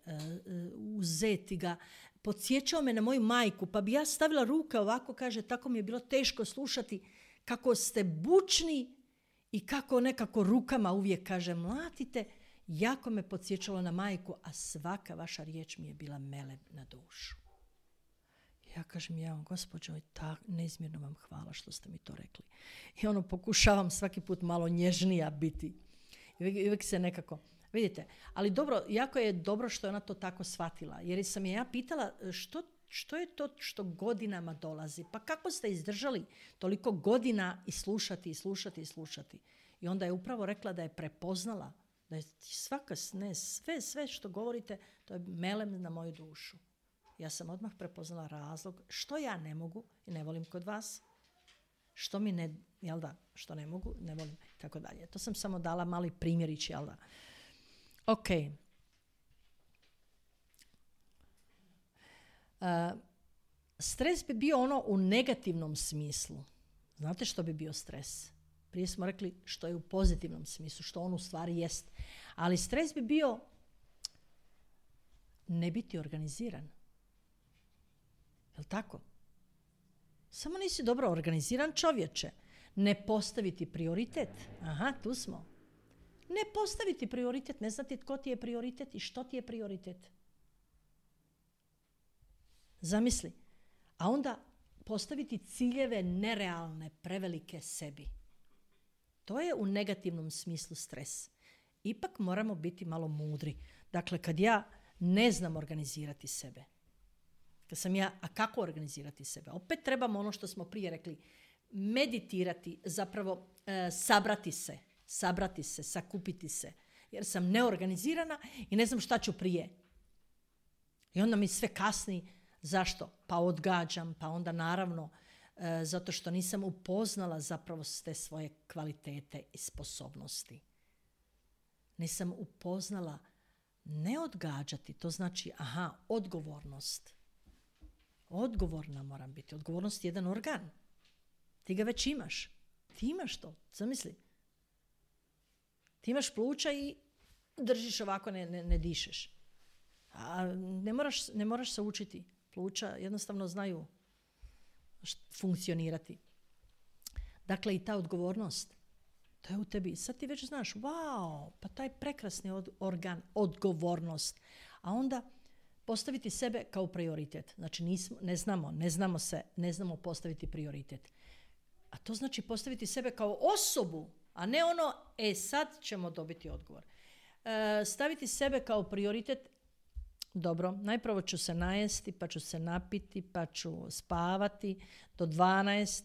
uzeti ga. Podsjećao me na moju majku, pa bi ja stavila ruke ovako, kaže, tako mi je bilo teško slušati kako ste bučni i kako nekako rukama uvijek, kaže, mlatite. Jako me podsjećalo na majku, a svaka vaša riječ mi je bila melem na dušu. Ja kažem, gospođo, neizmjerno vam hvala što ste mi to rekli. I pokušavam svaki put malo nježnija biti. I uvijek se nekako... Vidite, ali dobro, jako je dobro što je ona to tako shvatila. Jer sam je ja pitala što je to što godinama dolazi. Pa kako ste izdržali toliko godina i slušati. I onda je upravo rekla da je prepoznala, da je sve što govorite, to je melem na moju dušu. Ja sam odmah prepoznala razlog što ja ne mogu i ne volim kod vas. Što mi ne, jel da, što ne mogu, ne volim, tako dalje. To sam samo dala mali primjerić, jel da. Ok. Stres bi bio ono u negativnom smislu. Znate što bi bio stres? Prije smo rekli što je u pozitivnom smislu, što on u stvari jest. Ali stres bi bio ne biti organiziran. Jel' tako? Samo nisi dobro organiziran, čovječe. Ne postaviti prioritet. Aha, tu smo. Ne postaviti prioritet, ne znati tko ti je prioritet i što ti je prioritet. Zamisli. A onda postaviti ciljeve nerealne, prevelike sebi. To je u negativnom smislu stres. Ipak moramo biti malo mudri. Dakle, kad ja ne znam organizirati sebe, a kako organizirati sebe? Opet trebamo ono što smo prije rekli, meditirati, zapravo sabrati se, sakupiti se. Jer sam neorganizirana i ne znam šta ću prije. I onda mi sve kasni. Zašto? Pa odgađam, pa onda naravno zato što nisam upoznala zapravo te svoje kvalitete i sposobnosti. Nisam upoznala ne odgađati, to znači odgovornost. Odgovorna moram biti. Odgovornost je jedan organ. Ti ga već imaš. Ti imaš to. Zamisli. Ti imaš pluća i držiš ovako, ne dišeš. A ne moraš se učiti. Pluća jednostavno znaju funkcionirati. Dakle, i ta odgovornost, to je u tebi. Sad ti već znaš, wow, pa taj prekrasni organ, odgovornost. A onda postaviti sebe kao prioritet. Znači, ne znamo postaviti prioritet. A to znači postaviti sebe kao osobu, a ne ono, sad ćemo dobiti odgovor. Staviti sebe kao prioritet. Dobro, najprvo ću se najesti, pa ću se napiti, pa ću spavati do 12,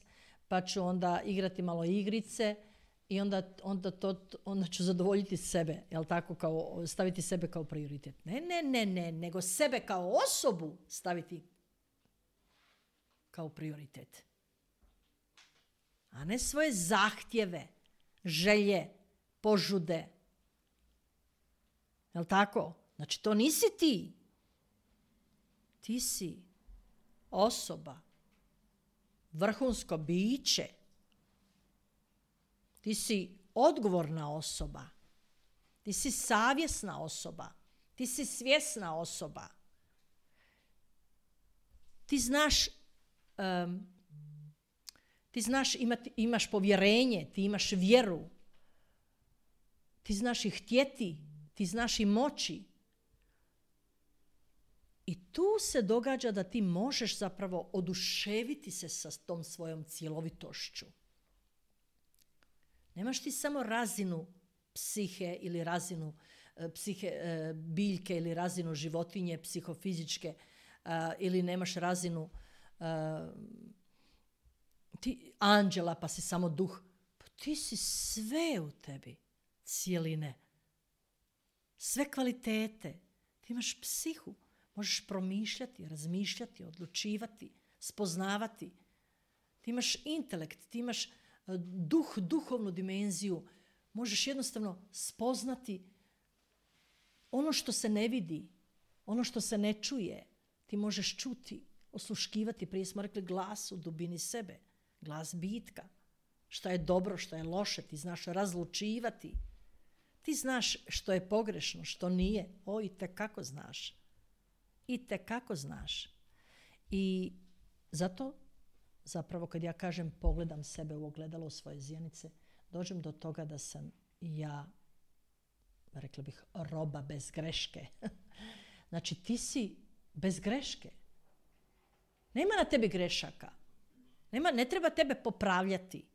pa ću onda igrati malo igrice i onda ću zadovoljiti sebe, jel tako, kao staviti sebe kao prioritet. Ne, nego sebe kao osobu staviti kao prioritet. A ne svoje zahtjeve, želje, požude. Jel tako? Znači, to nisi ti. Ti si osoba, vrhunsko biće. Ti si odgovorna osoba. Ti si savjesna osoba. Ti si svjesna osoba. Ti znaš imaš povjerenje, ti imaš vjeru. Ti znaš i htjeti, ti znaš i moći. I tu se događa da ti možeš zapravo oduševiti se sa tom svojom cjelovitošću. Nemaš ti samo razinu psihe ili razinu biljke ili razinu životinje, psihofizičke, ili nemaš razinu ti anđela pa si samo duh. Pa ti si sve u tebi, cijeline. Sve kvalitete. Ti imaš psihu. Možeš promišljati, razmišljati, odlučivati, spoznavati. Ti imaš intelekt, ti imaš duhovnu dimenziju. Možeš jednostavno spoznati ono što se ne vidi, ono što se ne čuje. Ti možeš čuti, osluškivati. Prije smo rekli glas u dubini sebe, glas bitka. Šta je dobro, šta je loše, ti znaš razlučivati. Ti znaš što je pogrešno, što nije. Itekako znaš. Itekako znaš. I zato, zapravo kad ja kažem pogledam sebe u ogledalo u svoje zjenice, dođem do toga da sam ja, rekla bih, roba bez greške. Znači, ti si bez greške. Nema na tebi grešaka. Ne treba tebe popravljati.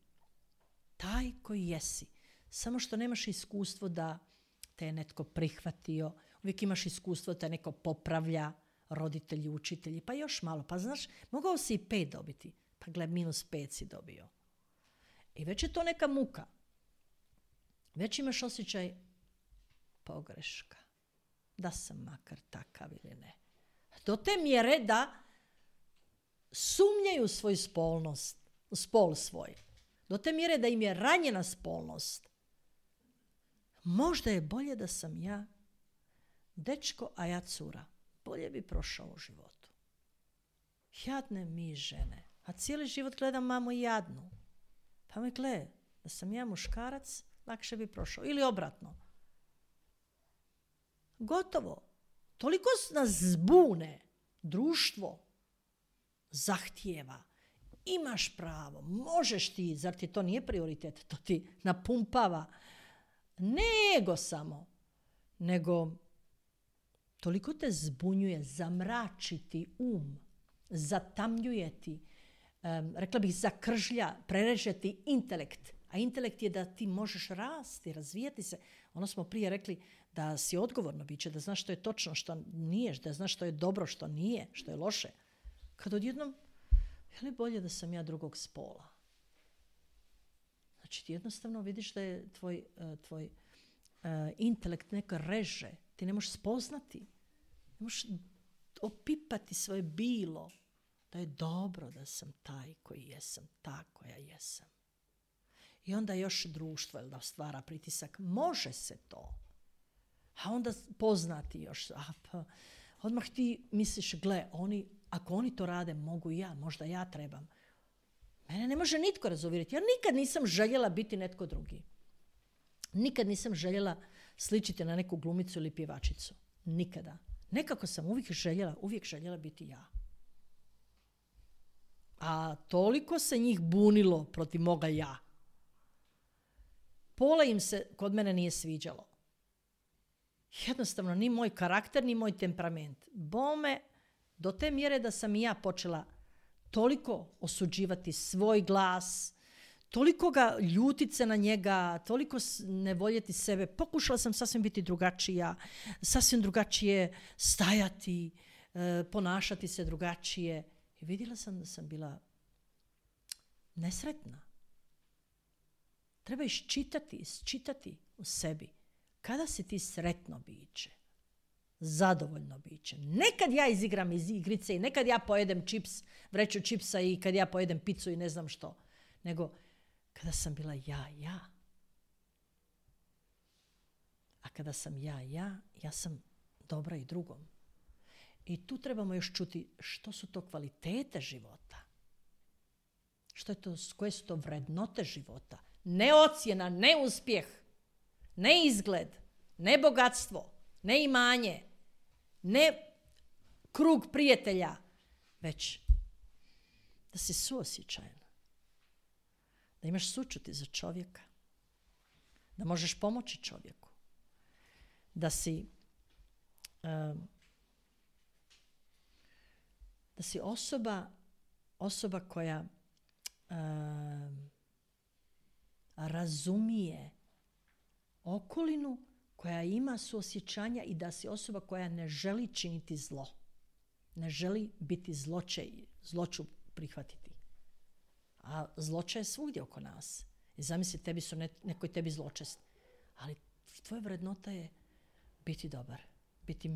Taj koji jesi. Samo što nemaš iskustvo da te je netko prihvatio. Uvijek imaš iskustvo da te neko popravlja, roditelji, učitelji, pa još malo. Pa znaš, mogao si i 5 dobiti. Pa gle, -5 si dobio. I već je to neka muka. Već imaš osjećaj pogreška. Da sam makar takav ili ne. Do te mjere da sumnjaju svoju spol svoj. Do te mjere da im je ranjena spolnost. Možda je bolje da sam ja dečko, a ja cura. Bolje bi prošao u životu. Jadne mi žene. A cijeli život gledam mamu jadnu. Pa me gleda, da sam ja muškarac, lakše bi prošao. Ili obratno. Gotovo. Toliko nas zbune. Društvo zahtijeva. Imaš pravo. Možeš ti. Zar ti to nije prioritet? To ti napumpava. Ne ego samo. Nego toliko te zbunjuje, zamračiti um. zatamljuje ti, rekla bih zakržlja, prereže ti intelekt. A intelekt je da ti možeš rasti, razvijati se. Ono smo prije rekli da si odgovorno biće, da znaš što je točno, što nije, da znaš što je dobro, što nije, što je loše. Kad odjednom, je li bolje da sam ja drugog spola? Znači ti jednostavno vidiš da je tvoj intelekt neka reže. Ti ne možeš spoznati. Ne možeš opipati svoje bilo. Da je dobro da sam taj koji jesam, ta koja jesam. I onda još društvo da stvara pritisak. Može se to. A onda poznati još. Odmah ti misliš, gle, ako oni to rade, mogu i ja, možda ja trebam. Mene ne može nitko razuvjeriti. Ja nikad nisam željela biti netko drugi. Nikad nisam željela sličiti na neku glumicu ili pjevačicu. Nikada. Nekako sam uvijek željela biti ja. A toliko se njih bunilo protiv moga ja. Pola im se kod mene nije sviđalo. Jednostavno, ni moj karakter, ni moj temperament. Bome, do te mjere da sam i ja počela toliko osuđivati svoj glas, toliko ga ljutit se na njega, toliko ne voljeti sebe. Pokušala sam sasvim biti drugačija, sasvim drugačije stajati, ponašati se drugačije. I vidjela sam da sam bila nesretna. Treba isčitati u sebi. Kada si ti sretno biće, zadovoljno biće. Nekad ja izigram iz igrice i nekad ja pojedem vreću čipsa i kad ja pojedem picu i ne znam što. Nego kada sam bila ja. A kada sam ja sam dobra i drugom. I tu trebamo još čuti što su to kvalitete života. Koje su to vrednote života. Ne ocjena, ne uspjeh, ne izgled, ne bogatstvo, ne imanje, ne krug prijatelja, već da si suosjećajan, da imaš sućuti za čovjeka, da možeš pomoći čovjeku, da si osoba koja razumije okolinu, koja ima suosjećanja i da si osoba koja ne želi činiti zlo. Ne želi biti zloću prihvatiti. A zloće je svugdje oko nas. I zamisli, neko je tebi zločest. Ali tvoja vrednota je biti dobar, biti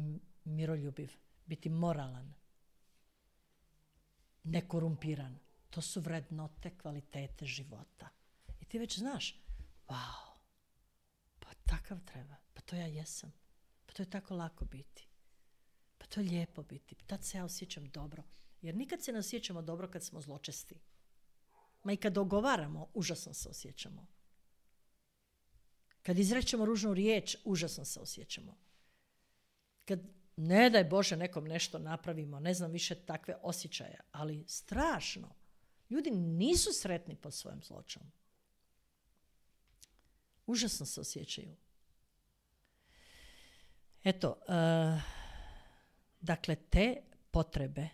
miroljubiv, biti moralan, nekorumpiran. To su vrednote, kvalitete života. I ti već znaš, wow, pa takav treba, pa to ja jesam, pa to je tako lako biti, pa to je lijepo biti, tad se ja osjećam dobro. Jer nikad se ne osjećamo dobro kad smo zločesti. Ma i kad dogovaramo, užasno se osjećamo. Kad izrečemo ružnu riječ, užasno se osjećamo. Kad, ne daj Bože, nekom nešto napravimo, ne znam više takve osjećaje, ali strašno. Ljudi nisu sretni pod svojim zločom. Užasno se osjećaju. Eto, dakle, te potrebe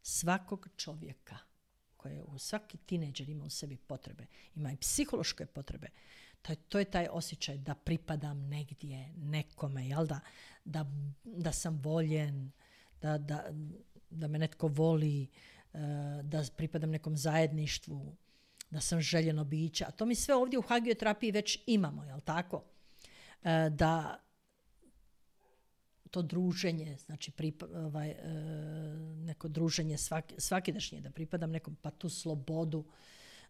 svakog čovjeka, svaki tinejdžer ima u sebi potrebe, ima i psihološke potrebe, to je taj osjećaj da pripadam negdje, nekome, jel da sam voljen, da me netko voli, da pripadam nekom zajedništvu, da sam željeno biće. A to mi sve ovdje u hagioterapiji već imamo, jel tako? Da to druženje, znači neko druženje svakidašnje, da pripadam nekom, pa tu slobodu,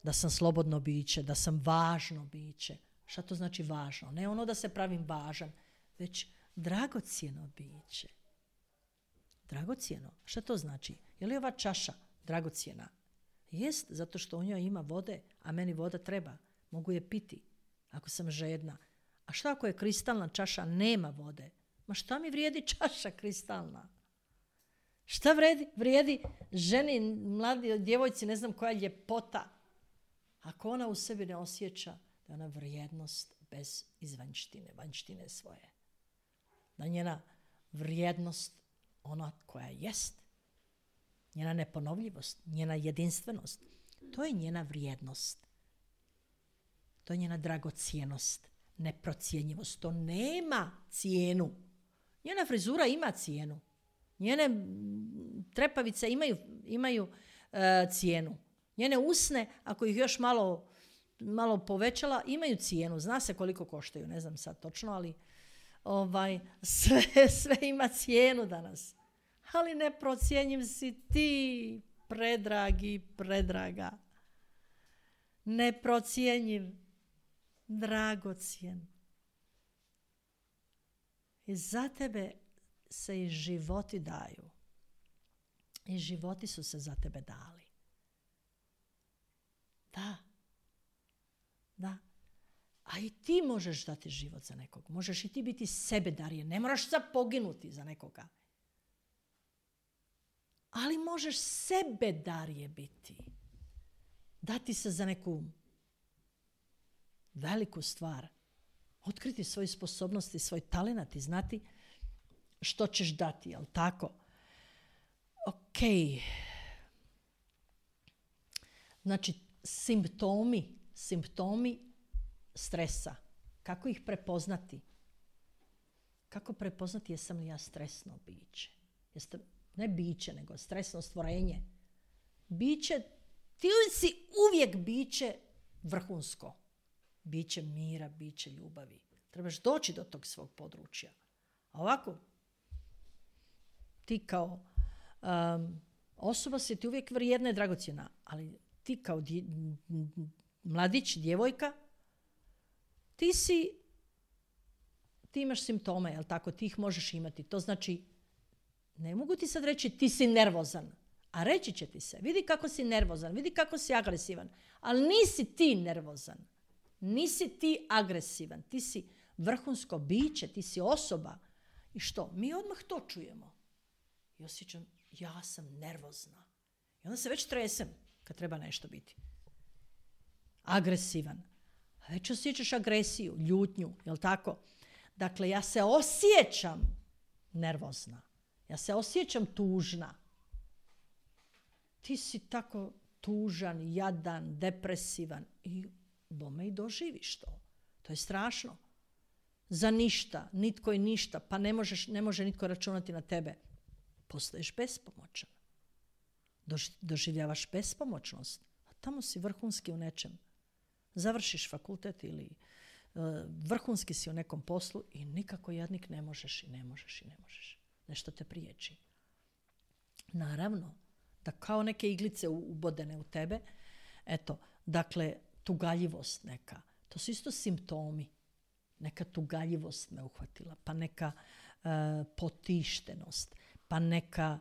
da sam slobodno biće, da sam važno biće. Šta to znači važno? Ne ono da se pravim važan, već dragocjeno biće. Dragocjeno. Šta to znači? Je li ova čaša dragocjena? Jest, zato što u njoj ima vode, a meni voda treba. Mogu je piti, ako sam žedna. A šta ako je kristalna čaša, nema vode? Ma šta mi vrijedi čaša kristalna? Šta vrijedi ženi, mladi djevojci, ne znam koja ljepota, ako ona u sebi ne osjeća da je ona vrijednost bez vanjštine svoje. Da njena vrijednost ona koja jest. njena neponovljivost, njena jedinstvenost. To je njena vrijednost. To je njena dragocjenost, neprocjenjivost. To nema cijenu. Njena frizura ima cijenu. Njene trepavice imaju cijenu. Njene usne, ako ih još malo povećala, imaju cijenu. Zna se koliko koštaju, ne znam sad točno, ali sve ima cijenu danas. Ali neprocjenjiv si ti, predragi, predraga. Neprocjenjiv, dragocjen. I za tebe se i životi daju. I životi su se za tebe dali. Da. A i ti možeš dati život za nekog. Možeš i ti biti sebedarije. Ne moraš sad poginuti za nekoga. Ali možeš sebedarije biti. Dati se za neku veliku stvar. Otkriti svoje sposobnosti, svoj talenat i znati što ćeš dati, jel tako? Ok. Znači, simptomi stresa. Kako ih prepoznati? Kako prepoznati jesam li ja stresno biće? Ne biće, nego stresno stvorenje. Biće, ti si uvijek biće vrhunsko. Biće mira, biće ljubavi. Trebaš doći do tog svog područja. A ovako, ti kao osoba si ti uvijek vrijedna i dragocjena, ali ti kao mladić, djevojka, ti imaš simptome, jel tako? Ti ih možeš imati. To znači, ne mogu ti sad reći ti si nervozan, a reći će ti se, vidi kako si nervozan, vidi kako si agresivan, ali nisi ti nervozan, nisi ti agresivan, ti si vrhunsko biće, ti si osoba. I što? Mi odmah to čujemo. I osjećam, ja sam nervozna. I onda se već tresem kad treba nešto biti. Agresivan. A već osjećaš agresiju, ljutnju, jel tako? Dakle, ja se osjećam nervozna. Ja se osjećam tužna. Ti si tako tužan, jadan, depresivan. I bome i doživiš to. To je strašno. Za ništa, nitko i ništa, pa ne može nitko računati na tebe. Postaješ bespomoćan. Doživljavaš bespomoćnost. A tamo si vrhunski u nečem. Završiš fakultet ili vrhunski si u nekom poslu i nikako jadnik ne možeš. Nešto te priječi. Naravno, da kao neke iglice ubodene u tebe, eto, dakle, tugaljivost neka. To su isto simptomi. Neka tugaljivost me uhvatila, pa neka potištenost, pa neka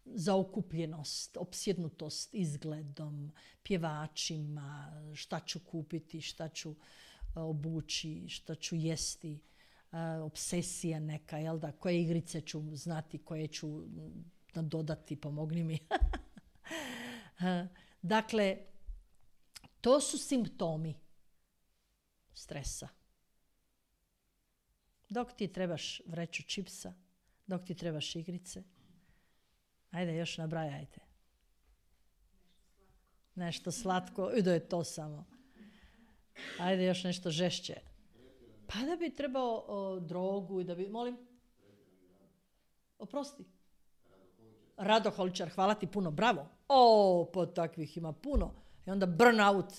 zaokupljenost, opsjednutost izgledom, pjevačima, šta ću kupiti, šta ću obući, šta ću jesti, obsesija neka, jel da, koje igrice ću znati, koje ću dodati, pomogni mi. Dakle, to su simptomi stresa. Dok ti trebaš vreću čipsa, dok ti trebaš igrice, ajde još nabrajajte. Nešto slatko, i da je to samo. Ajde još nešto žešće. Pa da bi trebao drogu i da bi, molim? Oprosti. Radoholičar, hvala ti puno, bravo. Pa takvih ima puno. I onda burnout.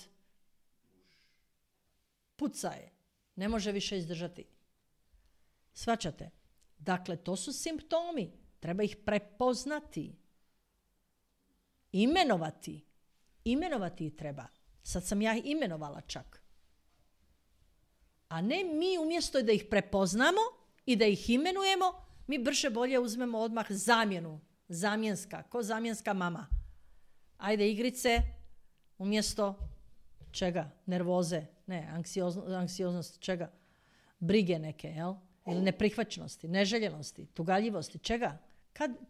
Puca je. Ne može više izdržati. Shvaćate? Dakle, to su simptomi. Treba ih prepoznati. Imenovati. Imenovati ih treba. Sad sam ja imenovala čak. A ne mi umjesto da ih prepoznamo i da ih imenujemo, mi brže bolje uzmemo odmah zamjenu. Zamjenska. Ko zamjenska mama. Ajde igrice umjesto čega? Nervoze. Ne, anksioznost. Čega? Brige neke, jel? Ili neprihvaćenosti, neželjenosti, tugaljivosti. Čega?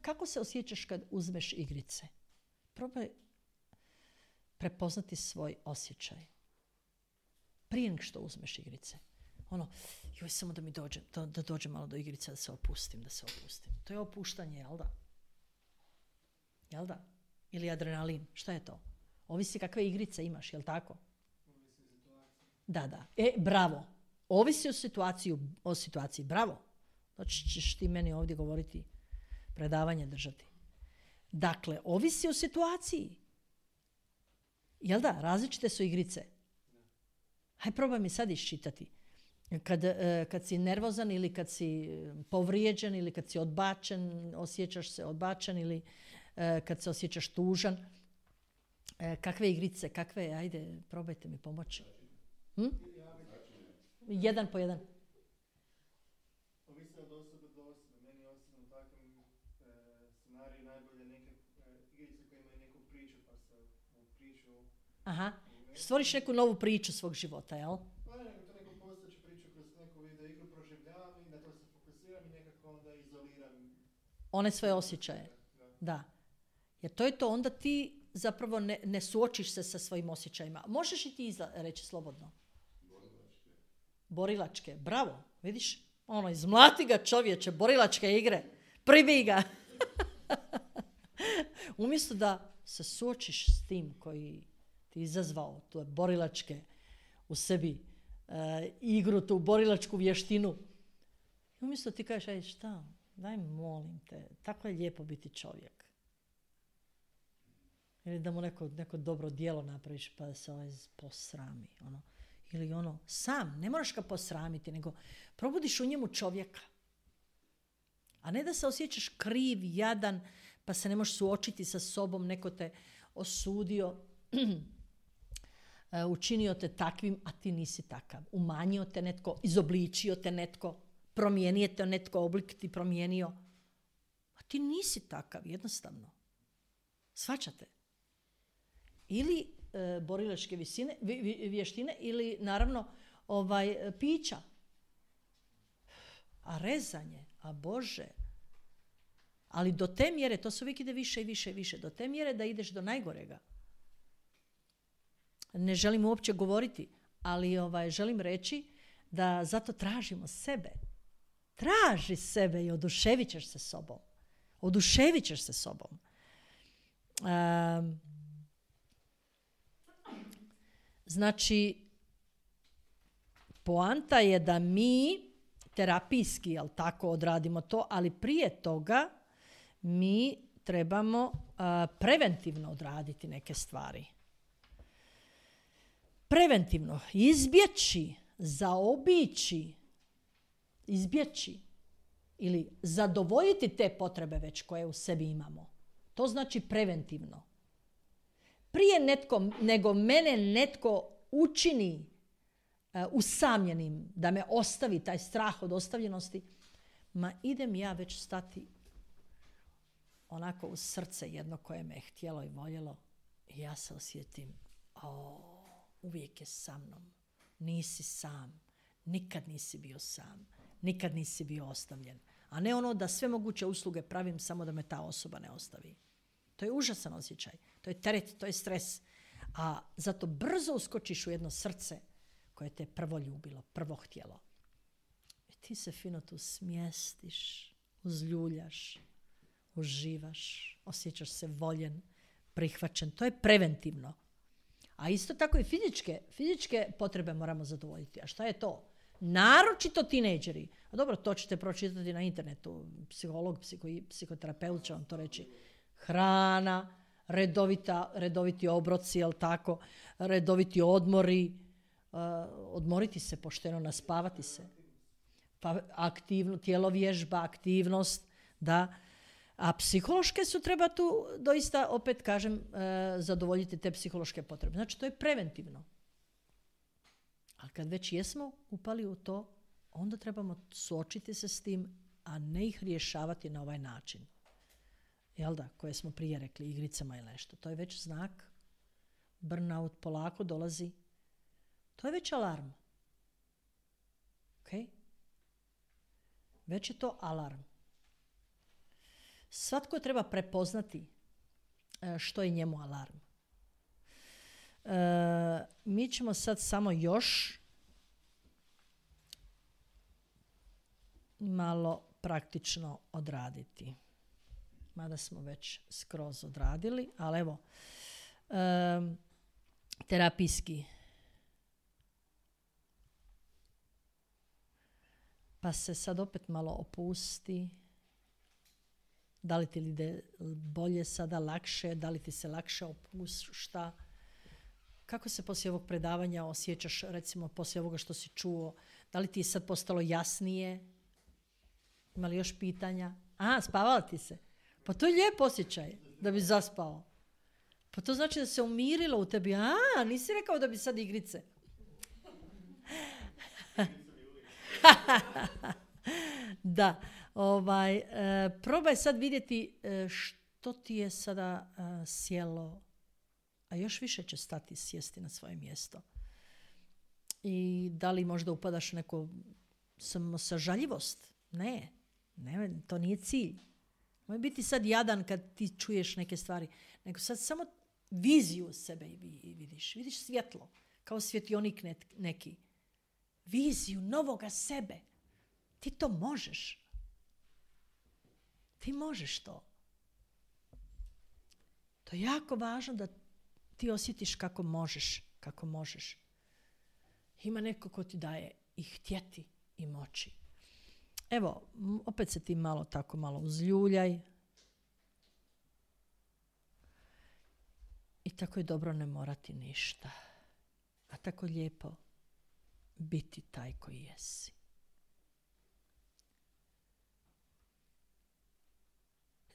Kako se osjećaš kad uzmeš igrice? Probaj prepoznati svoj osjećaj. Prije nego što uzmeš igrice. Joj, samo da mi dođe, da dođe malo do igrice, da se opustim. To je opuštanje, jel da? Ili adrenalin, šta je to? Ovisi kakve igrice imaš, jel tako? Da. Bravo. Ovisi o situaciji, bravo. Znači ćeš ti meni ovdje govoriti, predavanje držati. Dakle, ovisi o situaciji. Jel da? Različite su igrice. Hajde probaj mi sad iščitati. Kad si nervozan ili kad si povrijeđen ili kad si odbačen, osjećaš se odbačen ili kad se osjećaš tužan. Kakve igrice, ajde, probajte mi pomoći. Jedan po jedan. Ovisi od osobe do osobe. Meni osobno u takvom scenariju najbolje neke igrice koje imaju neku priču, pa se priču... Aha, stvoriš neku novu priču svog života, jel? Pa to neku postojeću priču kroz neku video igru proživljavam i na to se fokusiram i nekako onda izoliram. One svoje osjećaje. Da. Jer to je to, onda ti zapravo ne suočiš se sa svojim osjećajima. Možeš i ti reći slobodno. Borilačke, bravo, vidiš? Izmlati ga čovječe, borilačke igre, pribij ga. Umjesto da se suočiš s tim koji ti izazvao tu borilačke u sebi, igru, tu borilačku vještinu. Umjesto ti kažeš, aj šta, daj molim te, tako je lijepo biti čovjek. Ili da mu neko dobro djelo napraviš pa da se posrami, Ili sam, ne moraš ga posramiti, nego probudiš u njemu čovjeka. A ne da se osjećaš kriv, jadan, pa se ne možeš suočiti sa sobom, neko te osudio, učinio te takvim, a ti nisi takav. Umanjio te netko, izobličio te netko, promijenio te netko, oblik ti promijenio. A ti nisi takav, jednostavno. Shvaćate? Ili borilačke vještine ili naravno pića. A rezanje, a Bože. Ali do te mjere, to se uvijek ide više i više i više, do te mjere da ideš do najgorega. Ne želim uopće govoriti, ali želim reći da zato tražimo sebe. Traži sebe i oduševit ćeš se sobom. Oduševit ćeš se sobom. Znači, poanta je da mi terapijski, jel tako, odradimo to, ali prije toga mi trebamo preventivno odraditi neke stvari. Preventivno. Izbjeći, zaobići, izbjeći ili zadovoljiti te potrebe već koje u sebi imamo. To znači preventivno. Prije nego mene netko učini usamljenim, da me ostavi taj strah od ostavljenosti, idem ja već stati onako u srce jedno koje me je htjelo i voljelo i ja se osjetim, uvijek je sa mnom, nisi sam, nikad nisi bio sam, nikad nisi bio ostavljen. A ne da sve moguće usluge pravim samo da me ta osoba ne ostavi. To je užasan osjećaj, to je teret, to je stres. A zato brzo uskočiš u jedno srce koje te prvo ljubilo, prvo htjelo. I ti se fino tu smjestiš, uzljuljaš, uživaš, osjećaš se voljen, prihvaćen. To je preventivno. A isto tako i fizičke potrebe moramo zadovoljiti. A šta je to? Naročito tinejdžeri. A dobro, to ćete pročitati na internetu. Psiholog, psihoterapeut će vam to reći. Hrana, redoviti obroci, jel tako? Redoviti odmori. Odmoriti se pošteno, naspavati se. Pa tjelovježba, aktivnost, da. A psihološke su treba tu doista, opet kažem, zadovoljiti te psihološke potrebe. Znači, to je preventivno. Ali kad već jesmo upali u to, onda trebamo suočiti se s tim, a ne ih rješavati na ovaj način. Jel da? Koje smo prije rekli, igricama ili nešto. To je već znak. Burnout polako dolazi. To je već alarm. Ok? Već je to alarm. Svatko treba prepoznati što je njemu alarm. Mi ćemo sad samo još malo praktično odraditi. Mada smo već skroz odradili, ali evo, terapijski. Pa se sad opet malo opusti. Da li ti ide bolje sada, lakše, da li ti se lakše opušta? Kako se poslije ovog predavanja osjećaš, recimo poslije ovoga što si čuo? Da li ti je sad postalo jasnije? Ima li još pitanja? Spavala ti se? Pa to je lijep osjećaj da bi zaspao. Pa to znači da se umirilo u tebi. Nisi rekao da bi sad igrice. Da. Probaj sad vidjeti što ti je sada sjelo, a još više će stati sjesti na svoje mjesto. I da li možda upadaš u neku samosažaljivost? Ne, to nije cilj. Moj biti sad jadan kad ti čuješ neke stvari, nego sad samo viziju sebe vidiš. Vidiš svjetlo, kao svjetionik neki. Viziju novoga sebe. Ti to možeš. Ti možeš to. To je jako važno da ti osjetiš kako možeš. Ima neko ko ti daje i htjeti i moći. Evo, opet se ti malo uzljuljaj. I tako je dobro ne morati ništa. A tako lijepo biti taj koji jesi.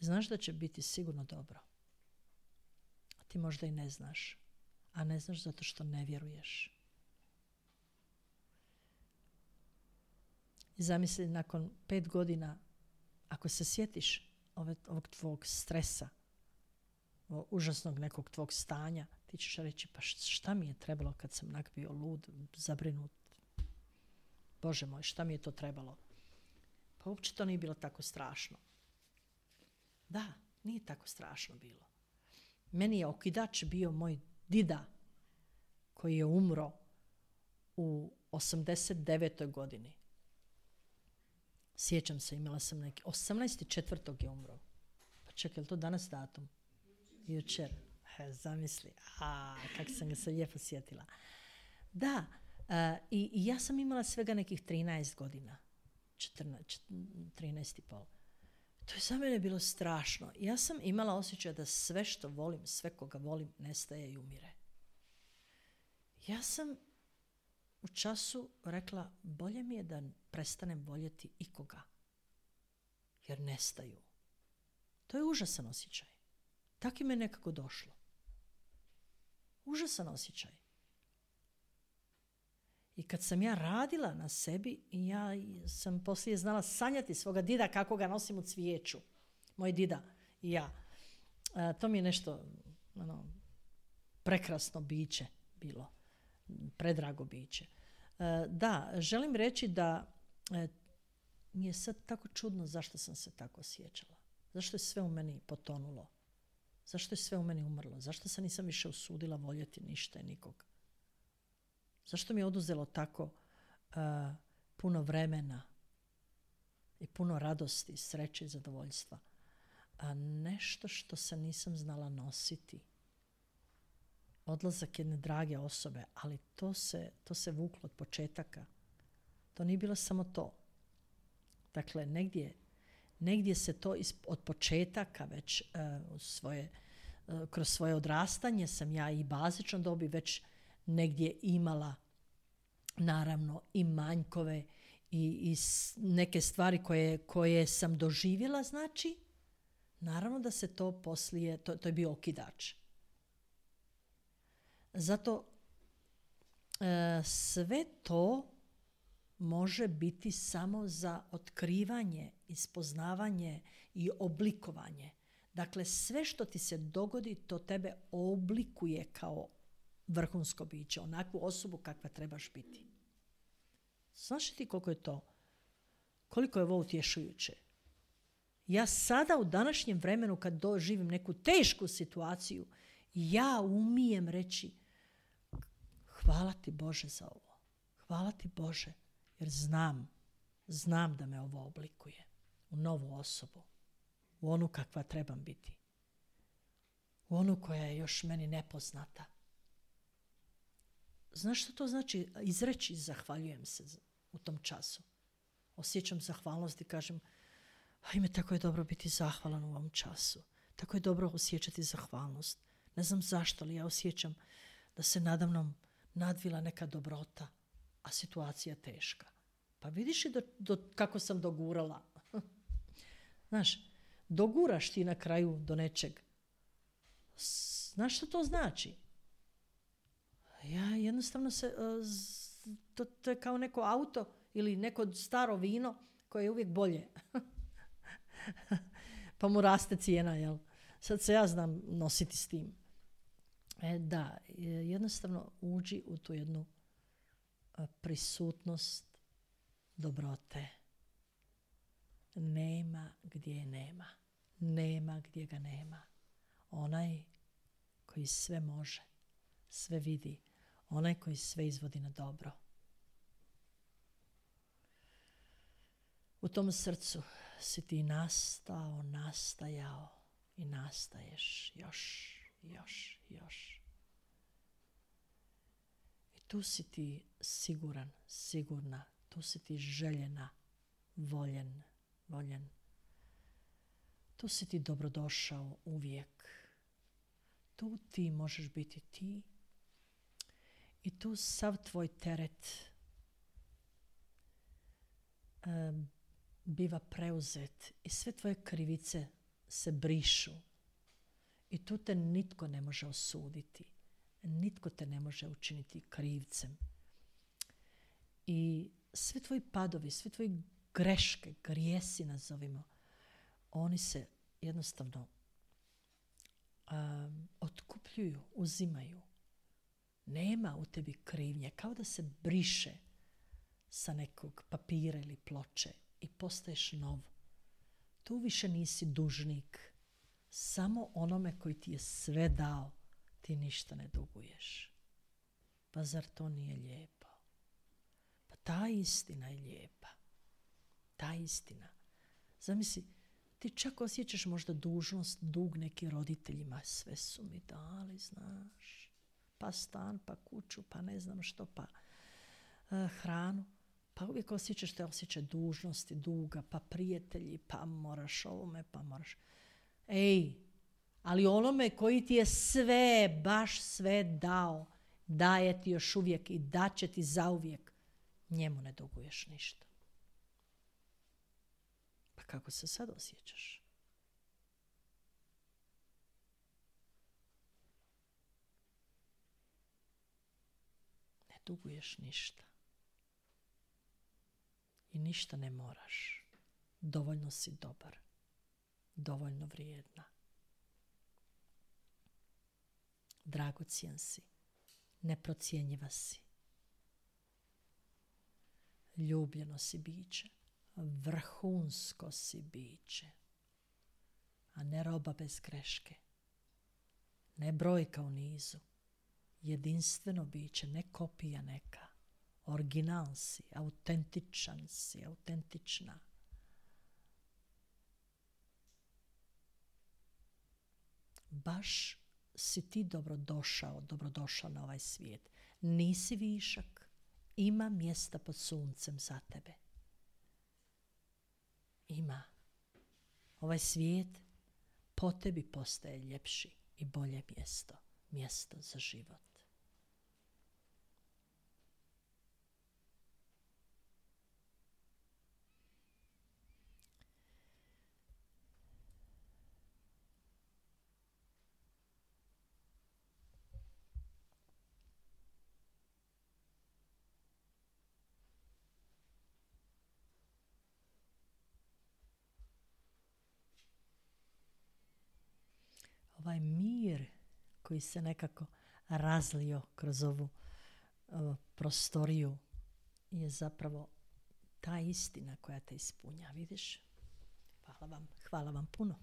Znaš da će biti sigurno dobro. A ti možda i ne znaš. A ne znaš zato što ne vjeruješ. I zamisli nakon 5 godina, ako se sjetiš ovog tvog stresa, ovog užasnog nekog tvog stanja, ti ćeš reći, pa šta mi je trebalo kad sam bio lud, zabrinut? Bože moj, šta mi je to trebalo? Pa uopće to nije bilo tako strašno. Da, nije tako strašno bilo. Meni je okidač bio moj dida koji je umro u 89. godini. Sjećam se, imala sam neki 18.4. je umro. Pa čekaj, je li to danas datum? Jučer. Zamisli. Kako sam ga se lijepo sjetila. Da, i ja sam imala svega nekih 13 godina. 13,5. To je za mene bilo strašno. Ja sam imala osjećaj da sve što volim, sve koga volim, nestaje i umire. Ja sam u času rekla, bolje mi je da prestanem voljeti ikoga. Jer nestaju. To je užasan osjećaj. Tako mi je nekako došlo. Užasan osjećaj. I kad sam ja radila na sebi, ja sam poslije znala sanjati svoga dida kako ga nosim u cvijeću. Moj dida i ja. To mi je nešto prekrasno biće bilo. Predrago biće. Da, želim reći da mi je sad tako čudno zašto sam se tako osjećala. Zašto je sve u meni potonulo? Zašto je sve u meni umrlo? Zašto se nisam više usudila voljeti ništa i nikog? Zašto mi je oduzelo tako puno vremena i puno radosti, sreće i zadovoljstva? Nešto što se nisam znala nositi. Odlazak jedne drage osobe, ali to se vuklo od početaka. To nije bilo samo to. Dakle, negdje se to od početaka već kroz svoje odrastanje sam ja i bazično dobi već negdje imala naravno i manjkove i neke stvari koje sam doživjela, znači naravno da se to poslije, to je bio okidač. Zato sve to može biti samo za otkrivanje, ispoznavanje i oblikovanje. Dakle, sve što ti se dogodi, to tebe oblikuje kao vrhunsko biće, onakvu osobu kakva trebaš biti. Znaš li ti koliko je ovo utješujuće? Ja sada u današnjem vremenu kad doživim neku tešku situaciju, ja umijem reći hvala ti Bože za ovo. Hvala ti Bože, jer znam znam da me ovo oblikuje u novu osobu, u onu kakva trebam biti, u onu koja je još meni nepoznata. Znaš što to znači? Izreći zahvaljujem se u tom času. Osjećam zahvalnost i kažem, ajme, tako je dobro biti zahvalan u ovom času. Tako je dobro osjećati zahvalnost. Ne znam zašto, ali ja osjećam da se nadamnom nadvila neka dobrota, a situacija teška. Pa vidiš i kako sam dogurala. Znaš, doguraš ti na kraju do nečeg. Znaš što to znači? Ja jednostavno to je kao neko auto ili neko staro vino koje je uvijek bolje. Pa mu raste cijena, jel? Sad se ja znam nositi s tim. Da, jednostavno uđi u tu jednu prisutnost dobrote. Nema gdje je nema. Nema gdje ga nema. Onaj koji sve može, sve vidi, onaj koji sve izvodi na dobro. U tom srcu si ti nastao, nastajao i nastaješ još. I tu si ti siguran, sigurna, tu si ti željena, voljen. Tu si ti dobrodošao uvijek. Tu ti možeš biti ti i tu sav tvoj teret biva preuzet i sve tvoje krivice se brišu. I tu te nitko ne može osuditi. Nitko te ne može učiniti krivcem. I svi tvoji padovi, svi tvoji greške, grijesi nazovimo, oni se jednostavno otkupljuju, uzimaju. Nema u tebi krivnje, kao da se briše sa nekog papira ili ploče i postaješ nov. Tu više nisi dužnik. Samo onome koji ti je sve dao, ti ništa ne duguješ. Pa zar to nije lijepo? Pa ta istina je lijepa. Ta istina. Zamisli, ti čak osjećaš možda dužnost, dug neki roditeljima. Sve su mi dali, znaš. Pa stan, pa kuću, pa ne znam što, pa hranu. Pa uvijek osjećaš te osjećaj dužnosti, duga, pa prijatelji, pa moraš ovome, pa moraš... Ej, ali onome koji ti je sve, baš sve dao, daje ti još uvijek i daće ti zauvijek, njemu ne duguješ ništa. Pa kako se sad osjećaš? Ne duguješ ništa. I ništa ne moraš. Dovoljno si dobar. Dovoljno vrijedna. Dragocjen si. Neprocjenjiva si. Ljubljeno si biće. Vrhunsko si biće. A ne roba bez greške. Ne brojka u nizu. Jedinstveno biće, ne kopija neka. Original si, autentičan si, autentična. Baš si ti dobrodošao na ovaj svijet. Nisi višak, ima mjesta pod suncem za tebe. Ima. Ovaj svijet po tebi postaje ljepši i bolje mjesto. Mjesto za život. Ovaj mir koji se nekako razlio kroz ovu prostoriju je zapravo ta istina koja te ispunja, vidiš? Hvala vam puno.